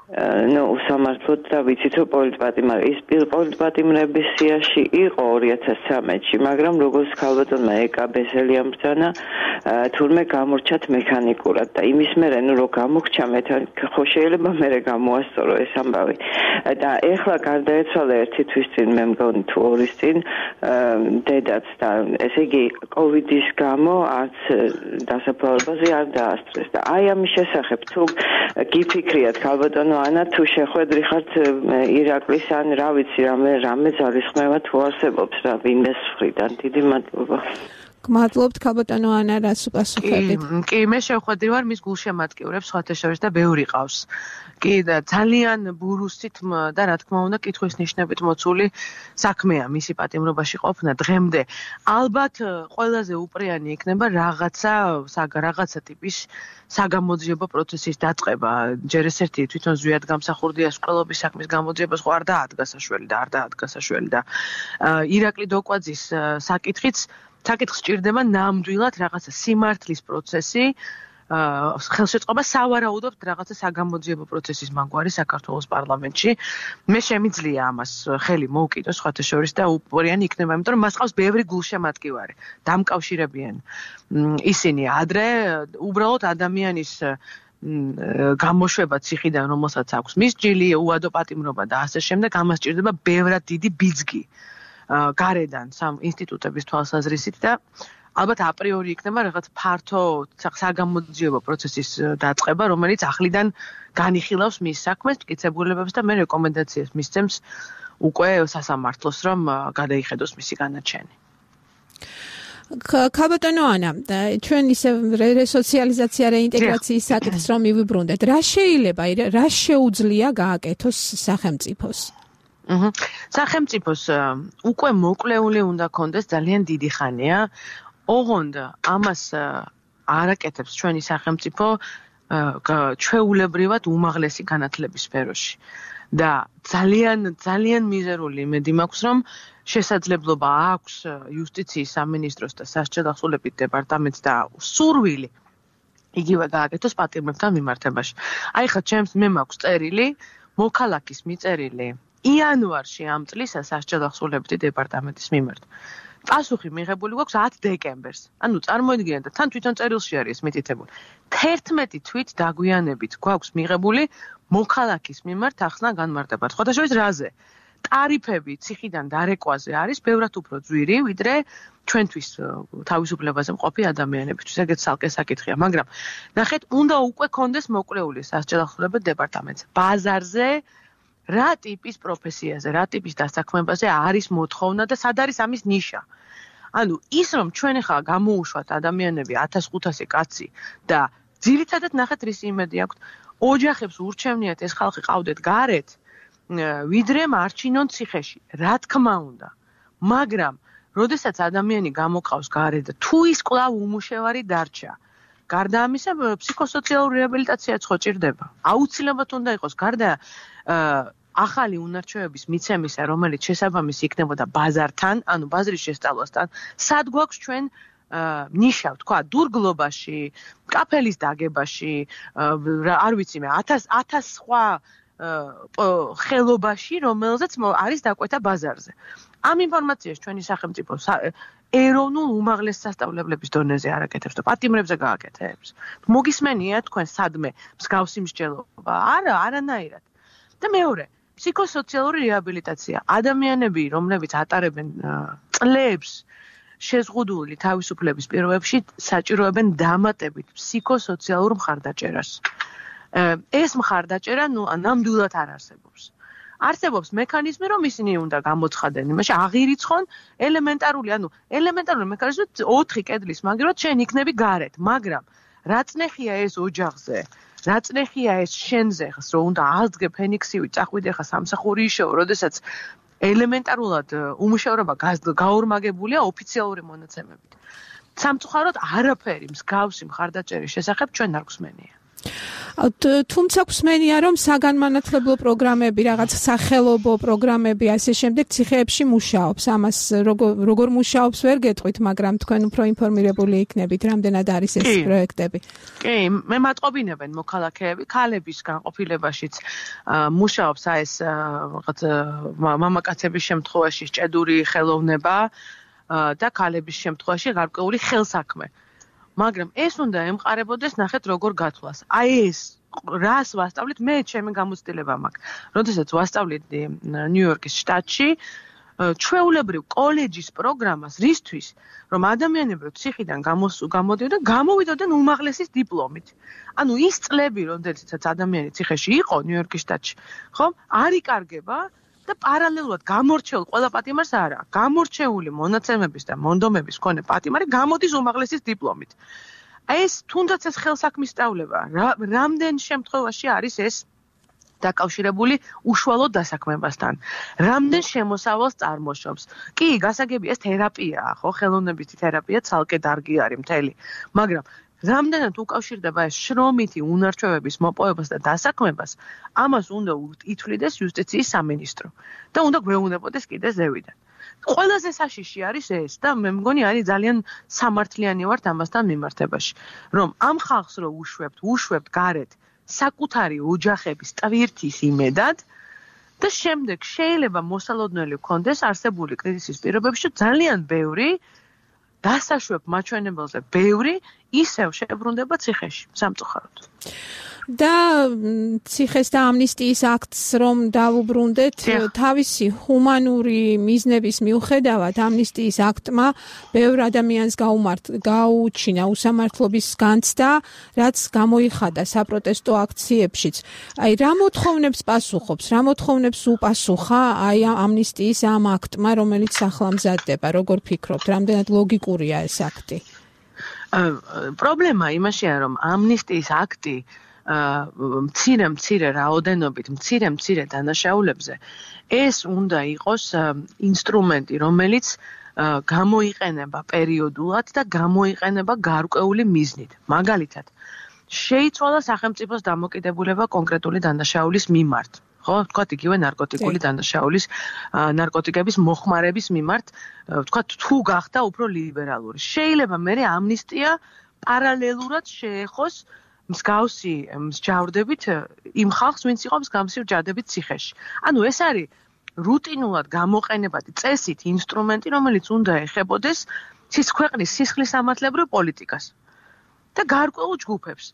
Speaker 6: უსამართლოდ და ვიცით რომ პოლიტპატიმრების სიაში იყო 2013-ში, მაგრამ როგორც ქალბატონმა ეკაბესელი ამბრძანა, თურმე გამორჩათ მექანიკურად და იმის მერე რომ გამოგჩა ხო შეიძლება მერე გამოასწორო ეს ამბავი. და ეხლა გარდაეცვალა ერთი თვის წინ, მე მგონი თუ ორის წინ დედაც და ესე იგი კოვიდის გამო არც დასაფლავებაზე არ დაასწრეს და აი ამის შესახებ თუ გიფიქრიათ ქალბატონო ანა თუ შეხვედრი ხართ ირაკლის ან რა ვიცი რამე ძალისხმევა თუ არსებობს რა ვინმეს მხრიდან. დიდი მადლობა.
Speaker 1: გმადლობთ ქალბატონო ანა, რას უპასუხებთ?
Speaker 4: კი, მე შევხვედრი ვარ მის გულშემატკივრებს სხვათა შორის და ბევრი ყავს. კი და ძალიან ბურუსით და რა თქმა უნდა კითხვის ნიშნებით მოცული საქმეა მისი პატიმრობაში ყოფნა დღემდე. ალბათ ყველაზე უპრიანი იქნება რაღაცა ტიპის საგამოძიებო პროცესის დაწყება. ჯერ ეს ერთი თვითონ ზვიად გამსახურდია სკოლობის საქმის გამოძიებას ხო არ დაადგა საშველი და ირაკლი დოკვაძის საკითხს ჭირდება ნამდვილად რაღაცა სიმართლის პროცესი, ხელშეწყობა სავარაუდოდ რაღაცა საგამოძიებო პროცესის მაგვარი საქართველოს პარლამენტში. მე შემიძლია ამას ხელი მოვკიდო სხვათა შორის და უპრიანი იქნება, იმიტომ რომ მას ყავს ბევრი გულშემატკივარი, დამკავშირებიან ისინი ადრე უბრალოდ ადამიანის გამოშვება ციხიდან, რომელსაც აქვს მისჯილი, უადო პატიმრობა და ასე შემდეგ, ამას ჭირდება ბევრად დიდი ბიძგი. გარედან სამ ინსტიტუტების თვალსაზრისით და ალბათ აპრიორი იქნება რაღაც ფართო საგამოძიებო პროცესის დაწყება, რომელიც ახლიდან განიხილავს მის საქმეს, მტკიცებულებებს და მე რეკომენდაციას მისცემს უკვე სასამართლოს, რომ გადაიხედოს მისი განაჩენი.
Speaker 1: ქალბატონო ანა, ჩვენ ისე რესოციალიზაცია რეინტეგრაციის საკითხს რომ მივიბრუნდეთ, რა შეიძლება, რა შეუძლია გააკეთოს სახელმწიფოს?
Speaker 4: სახელმწიფოს უკვე მოკლეული უნდა კონდეს ძალიან დიდი ხანია. ოღონდ ამას არაკეთებს ჩვენი სახელმწიფო ჩვეულებრივად უმაღლესი განათლების სფეროში. და ძალიან მიზერული იმედი მაქვს, რომ შესაძლებლობა აქვს იუსტიციის სამინისტროს და სასჯელთა დასრულების დეპარტამენტს და სურვილი იგივე გააკეთოს პატიმრებთან მიმართებაში. აი ხა ჩემს მე მაქვს წერილი, მოქალაქის მიწერილი იანვარში ამ წლის სასჯელთა დასრულების დეპარტამენტის მიმართ. პასუხი მიღებული გვაქვს 10 დეკემბერს. ანუ წარმოიდგინეთ და თან თვითონ წერილში არის მითითებული. 11 თვით დაგვიანებით გვაქვს მიღებული მოქალაქის მიმართ ახსნა განმარტება. სხვადასხვა რაზე? ტარიფები ციხიდან დარეკვაზე არის ბევრად უფრო ძვირი, ვიდრე ჩვენთვის თავისუფლებაზე მყოფი ადამიანებისთვის. ეგეც ცალკე საკითხია, მაგრამ ნახეთ, უნდა უკვე კონდეს მოკვლეული სასჯელახსოვრებო დეპარტამენტს. ბაზარზე რა ტიპის პროფესიაზე, რა ტიპის დასაქმებაზე არის მოთხოვნა და სად არის ამის ნიშა? ანუ ის რომ ჩვენ ახლა გამოუშვათ ადამიანები 1500 კაცი და ძირითადად ნახეთ რის იმედი აქვთ, ოჯახებს ურჩევნიათ ეს ხალხი ყავდეთ გარეთ, ვიდრე მარჩინონ ციხეში. რა თქმა უნდა. მაგრამ როდესაც ადამიანი გამოყავს გარეთ და თუ ის კვლავ უმუშევარი დარჩა, გარდა ამისა ფსიქოსოციალური რეაბილიტაციაც ხო ჭირდება. აუცილებლად უნდა იყოს გარდა ახალი უნარჩვევების მიცემისა, რომელიც შესაბამისი იქნებოდა ბაზართან, ანუ ბაზრის შესწავლასთან, სად გვაქვს ჩვენ ნიშა, თქვა, დურგლობაში, კაფელის დაგებაში, არ ვიცი მე, 1000 სხვა ხელობაში, რომელზეც არის დაკვეთა ბაზარზე. ამ ინფორმაციას ჩვენი სახელმწიფო ეროვნულ უმაღლეს სასწავლებლების დონეზე არ აკეთებს და პატიმრებზე გააკეთებს. მოგისმენია თქვენ სადმე მსგავსი მსჯელობა? არა, არანაირად. და მეორე, ფსიქოსოციალური რეაბილიტაცია. ადამიანები, რომლებიც ატარებენ წლებს შეზღუდული თავისუფლების პირობებში, საჭიროებენ დამატებით ფსიქოსოციალურ მხარდაჭერას. ეს მხარდაჭერა ნამდვილად არ არსებობს. არსებობს მექანიზმი, რომ ისინი უნდა გამოცხადენ, იმაში აღირიცხონ ელემენტარული მექანიზმი 4 კედლის მაგივრად შენ იქნები გარეთ, მაგრამ რა წნეხია ეს ოჯახზე, რა წნეხია ეს შენზე, რომ უნდა აღდგე ფენიქსივი, წახვიდე ხა სამსახური იშოვო, როდესაც ელემენტარულად უმუშევრობა გაორმაგებულია ოფიციალური მონაცემებით. სამწუხაროდ არაფერი მსგავსი მხარდაჭერის შესახებ ჩვენ არ გვსმენია.
Speaker 1: თუმცა გვსმენია, რომ საგანმანათლებლო პროგრამები, რაღაც სახელობო პროგრამები ასე შემდეგ ციხეებში მუშაობს. ამას როგორ მუშაობს ვერ გეტყვით, მაგრამ თქვენ უფრო ინფორმირებული იქნებით, რამდენად არის ეს პროექტები.
Speaker 4: კი, მე მატყობინებენ მოქალაქეები, ქალების განყოფილებაშიც მუშაობს ეს რაღაც მამაკაცების შემთხვევაში ჭედური ხელოვნება და ქალების შემთხვევაში გარკვეული ხელსაქმე. მაგრამ ეს უნდა ემყარებოდეს, ნახეთ როგორ გათვლას. აი ეს რას ვასწავლით, მე ჩემი გამოცდილება მაქვს. როდესაც ვასწავლედი ნიუ-იორკის შტატში, ჩვეულებრივ კოლეჯის პროგრამას, რისთვის, რომ ადამიანები ციხიდან გამოდიოდნენ, გამოვიდოდნენ უმაღლესის დიპლომით. ანუ ის წლები, როდესაც ადამიანი ციხეში იყო ნიუ-იორკის შტატში, ხო, არ იკარგება და პარალელურად გამორჩეულ ყველა პატიმარს არა, გამორჩეული მონაცემების და მონდომების მქონე პატიმარი გამოდის უმაღლესის დიპლომით. ეს თუნდაც ეს ხელსაქმის სწავლება, რამდენ შემთხვევაში არის ეს დაკავშირებული უშუალოდ დასაქმებასთან. რამდენ შემოსავალს წარმოშობს. კი, გასაგებია ეს თერაპიაა, ხო, ხელოვნებითი თერაპია ცალკე დარგი არის მთელი, მაგრამ რამდენად უკავშირდება ეს შრომითი უნარჩვევების მოპოვებას და დასაქმებას, ამას უნდა ითვლიდეს იუსტიციის სამინისტრო და უნდა გვეუბნებოდეს კიდე ზევიდან. ყველაზე საშიში არის ეს და მე მგონი არის ძალიან სამართლიანი ვართ ამასთან მიმართებაში, რომ ამ ხალხს რო უშვებთ გარეთ საკუთარი ოჯახების ტვირთის იმედად და შემდეგ შეიძლება მოსალოდნელი გქონდეს არსებული კრიზისის პირობებში ძალიან ბევრი დასაშვებ მაჩვენებელზე ბევრი ისევ შებრუნდება ციხეში, სამწუხაროდ.
Speaker 1: და ციხეს და ამნისტიის აქტს რომ დავუბრუნდეთ, თავისი ჰუმანური მიზნების მიუხედავად ამნისტიის აქტმა ბევრ ადამიანს გაუჩინა უსამართლობის განცდა, რაც გამოიხადა საპროტესტო აქციებშიც. აი, რა მოთხოვნებს პასუხობს, რა მოთხოვნებს უპასუხა აი ამნისტიის ამ აქტმა, რომელიც ახლა მზადდება, როგორ ფიქრობთ, რამდენად ლოგიკურია ეს აქტი?
Speaker 4: პრობლემა იმაშია, რომ ამნისტიის აქტი მცირე რაოდენობით, მცირე დანაშაულებზე ეს უნდა იყოს ინსტრუმენტი, რომელიც გამოიყენება პერიოდულად და გამოიყენება გარკვეული მიზნით. მაგალითად, შეიცვალა სახელმწიფოს დამოკიდებულება კონკრეტული დანაშაულის მიმართ. ხო, თქვათ იგივე ნარკოტიკული დანაშაულის, ნარკოტიკების მოხმარების მიმართ, თქვათ თუ გახდა უფრო ლიბერალური. შეიძლება მე ამნისტია პარალელურად შეეხოს მსგავსი მსჯავრდებით იმ ხალხს, ვინც იყო მსგავსი მსჯავრდებით ციხეში. ანუ ეს არის რუტინულად გამოყენებადი წესით ინსტრუმენტი, რომელიც უნდა ეხებოდეს ქვეყნის სისხლისამართლებრივ პოლიტიკას და გარკვეულ ჯგუფებს.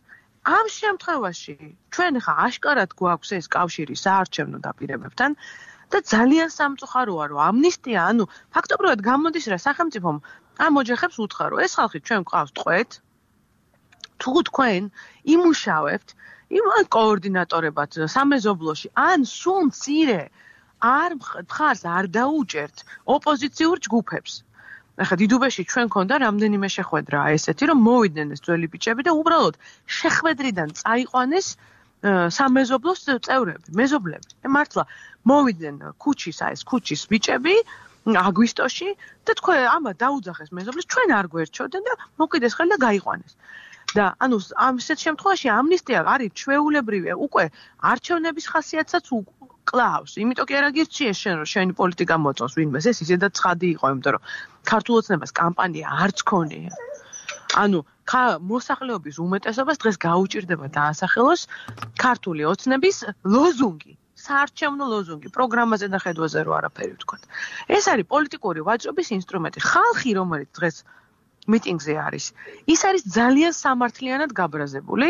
Speaker 4: ამ შემთხვევაში ჩვენ ხა აშკარად გვაქვს ეს კავშირი საარჩევნო დაპირებებთან და ძალიან სამწუხაროა რომ ამნისტია ანუ ფაქტობრივად გამოდის რა სახელმწიფომ ამ ოჯახებს უთხრა რომ ეს ხალხი ჩვენ გვყავს ტყვეთ თუ თქვენ იმუშავებთ იმ კოორდინატორებად სამეზობლოში ან სულ მცირე არ მხარს არ დაუჭერთ ოპოზიციურ ჯგუფებს ახლა დიდუბეში ჩვენ ქონდა რამდენიმე შეხვედრა ესეთი რომ მოვიდნენ ეს ძველი ბიჭები და უბრალოდ შეხვედრიდან წაიყვანეს სამეზობლოს წევრები მეზობლები მართლა მოვიდნენ ქუჩის ბიჭები აგვისტოში და თქვენ ამა დაუძახეს მეზობლის ჩვენ არ გვერჩევდნენ და მოკიდეს ხელი და გაიყვანეს და ანუ ამ ისეთ შემთხვევაში ამნისტია არის ჩვეულებრივია უკვე არჩევნების ხასიათსაც კლავს იმიტომ კი არ აგირჩიეს შენ რომ შენი პოლიტიკა მოწონს ვინმეს ეს ისედაც ცხადი იყო იმიტომ რომ ქართულ ოცნებას კამპანია არც ქონია ანუ მოსახლეობის უმეტესობას დღეს გაუჭირდება დაასახელოს ქართული ოცნების ლოზუნგი საარჩევნო ლოზუნგი პროგრამაზე და ხედვაზე რო არაფერი ვთქვათ ეს არის პოლიტიკური ვაჭრობის ინსტრუმენტი ხალხი რომელიც დღეს მიტინგზე არის ის არის ძალიან სამართლიანად გაბრაზებული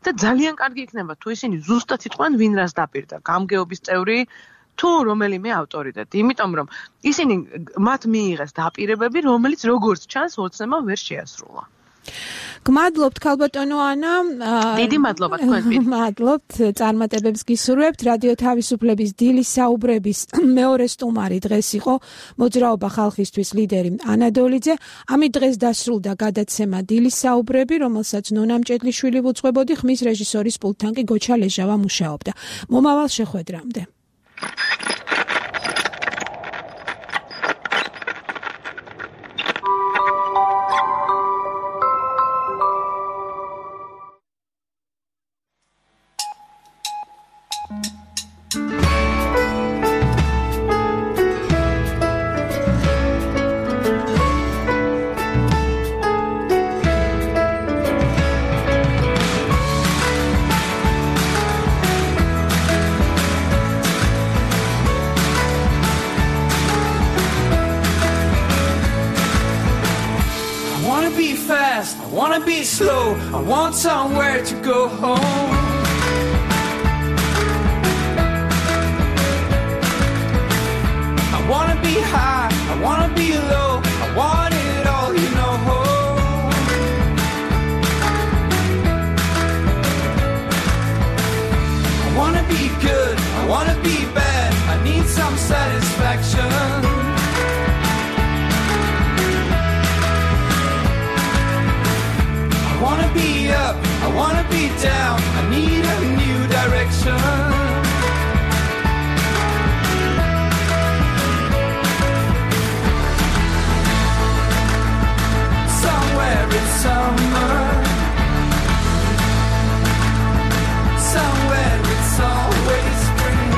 Speaker 4: და ძალიან კარგი იქნება თუ ისინი ზუსტად იტყვიან ვინ რას დაპირდა გამგეობის წევრი თუ რომელიმე ავტორიტეტი იმიტომ რომ ისინი მათ მიიღეს დაპირებები რომელიც როგორც ჩანს ოცნებმა ვერ შეასრულა
Speaker 1: გმადლობთ ქალბატონო ანა
Speaker 4: დიდი მადლობა თქვენ
Speaker 1: მადლობთ წარმატებებს გისურვებთ რადიო თავისუფლების დილის საუბრების მეორე სტუმარი დღეს იყო მოძრაობა ხალხისთვის ლიდერი ანა დოლიძე ამით დღეს დასრულდა გადაცემა დილის საუბრები რომელსაც ნონა მჭედლიშვილი უძღვებოდი ხმის რეჟისორის პულტთან კი გოჩა ლეჟავა მუშაობდა მომავალ შეხვედრამდე
Speaker 7: I want somewhere to go home. I wanna be high, I wanna be low, I want it all, you know. I wanna be good, I wanna be bad, I need some satisfaction. I wanna be up, I wanna be down, I need a new direction. Somewhere it's summer, somewhere it's always spring.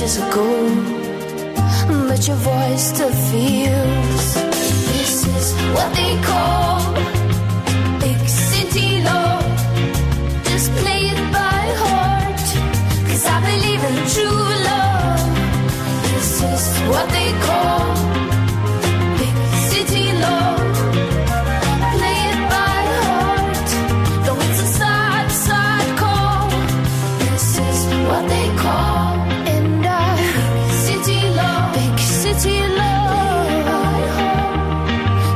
Speaker 8: ages ago, but your voice still feels. This is what they call big city love. Just play it by heart, 'cause I believe in true love. This is what they call big city love. Play it by heart, though it's a sad, sad call. This is what they call big city love,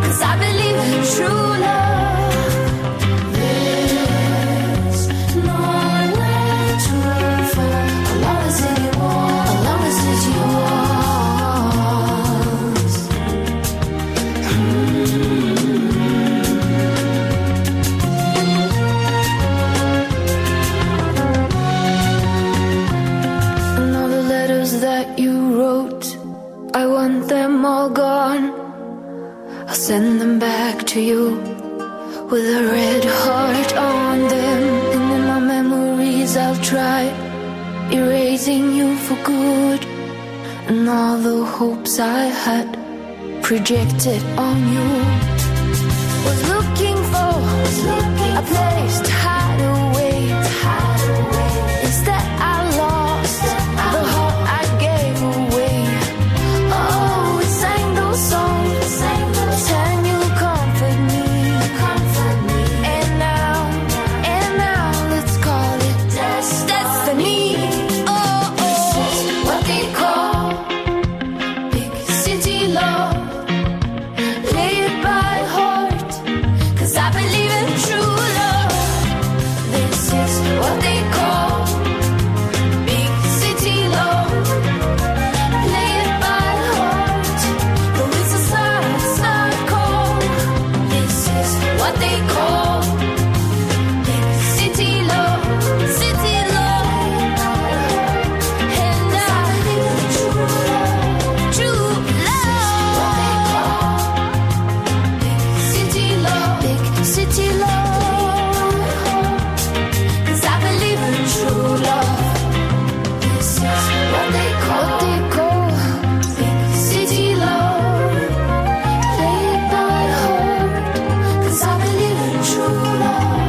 Speaker 8: 'cause I believe in true love. There's nowhere to fall, as long as it's yours, as long as it's yours. And all the letters that you wrote, I want them all gone. I'll send them back to you with a red heart on them. And in my memories I'll try erasing you for good. And all the hopes I had projected on you. Was looking for a place to hide away. Instead I lost the heart I gave away. Oh, we sang those songs, sang you comfort me. And now let's call it destiny. Oh, this is what they call big city love. Play it by heart, 'cause I believe in true love. This is what they call big city love. Play it by heart, though it's a sad, sad call. This is what they call big city love, city love. And I believe in true love, true love. Big city love, big city love. 'Cause I believe in true love. This is what they call big city love. Play it by heart, 'cause I believe in true love.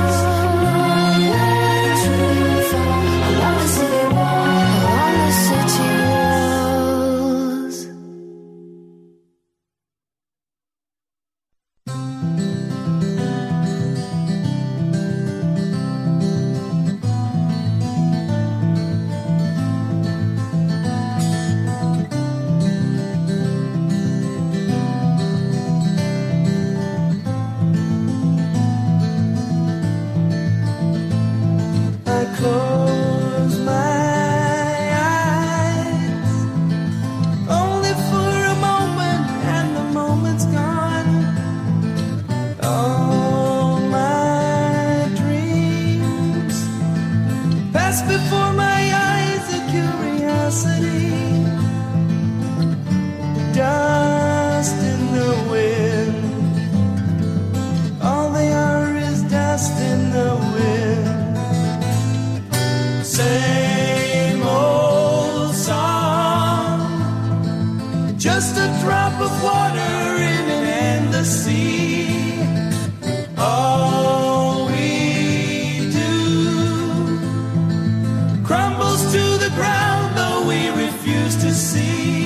Speaker 8: There's nowhere to fall, along the city walls.
Speaker 7: I close my eyes only for a moment, and the moment's gone. All my dreams pass before my eyes, a curiosity, dust in the wind. All they are is dust in the wind. Same old song, just a drop of water in an endless sea. All we do crumbles to the ground, though we refuse to see.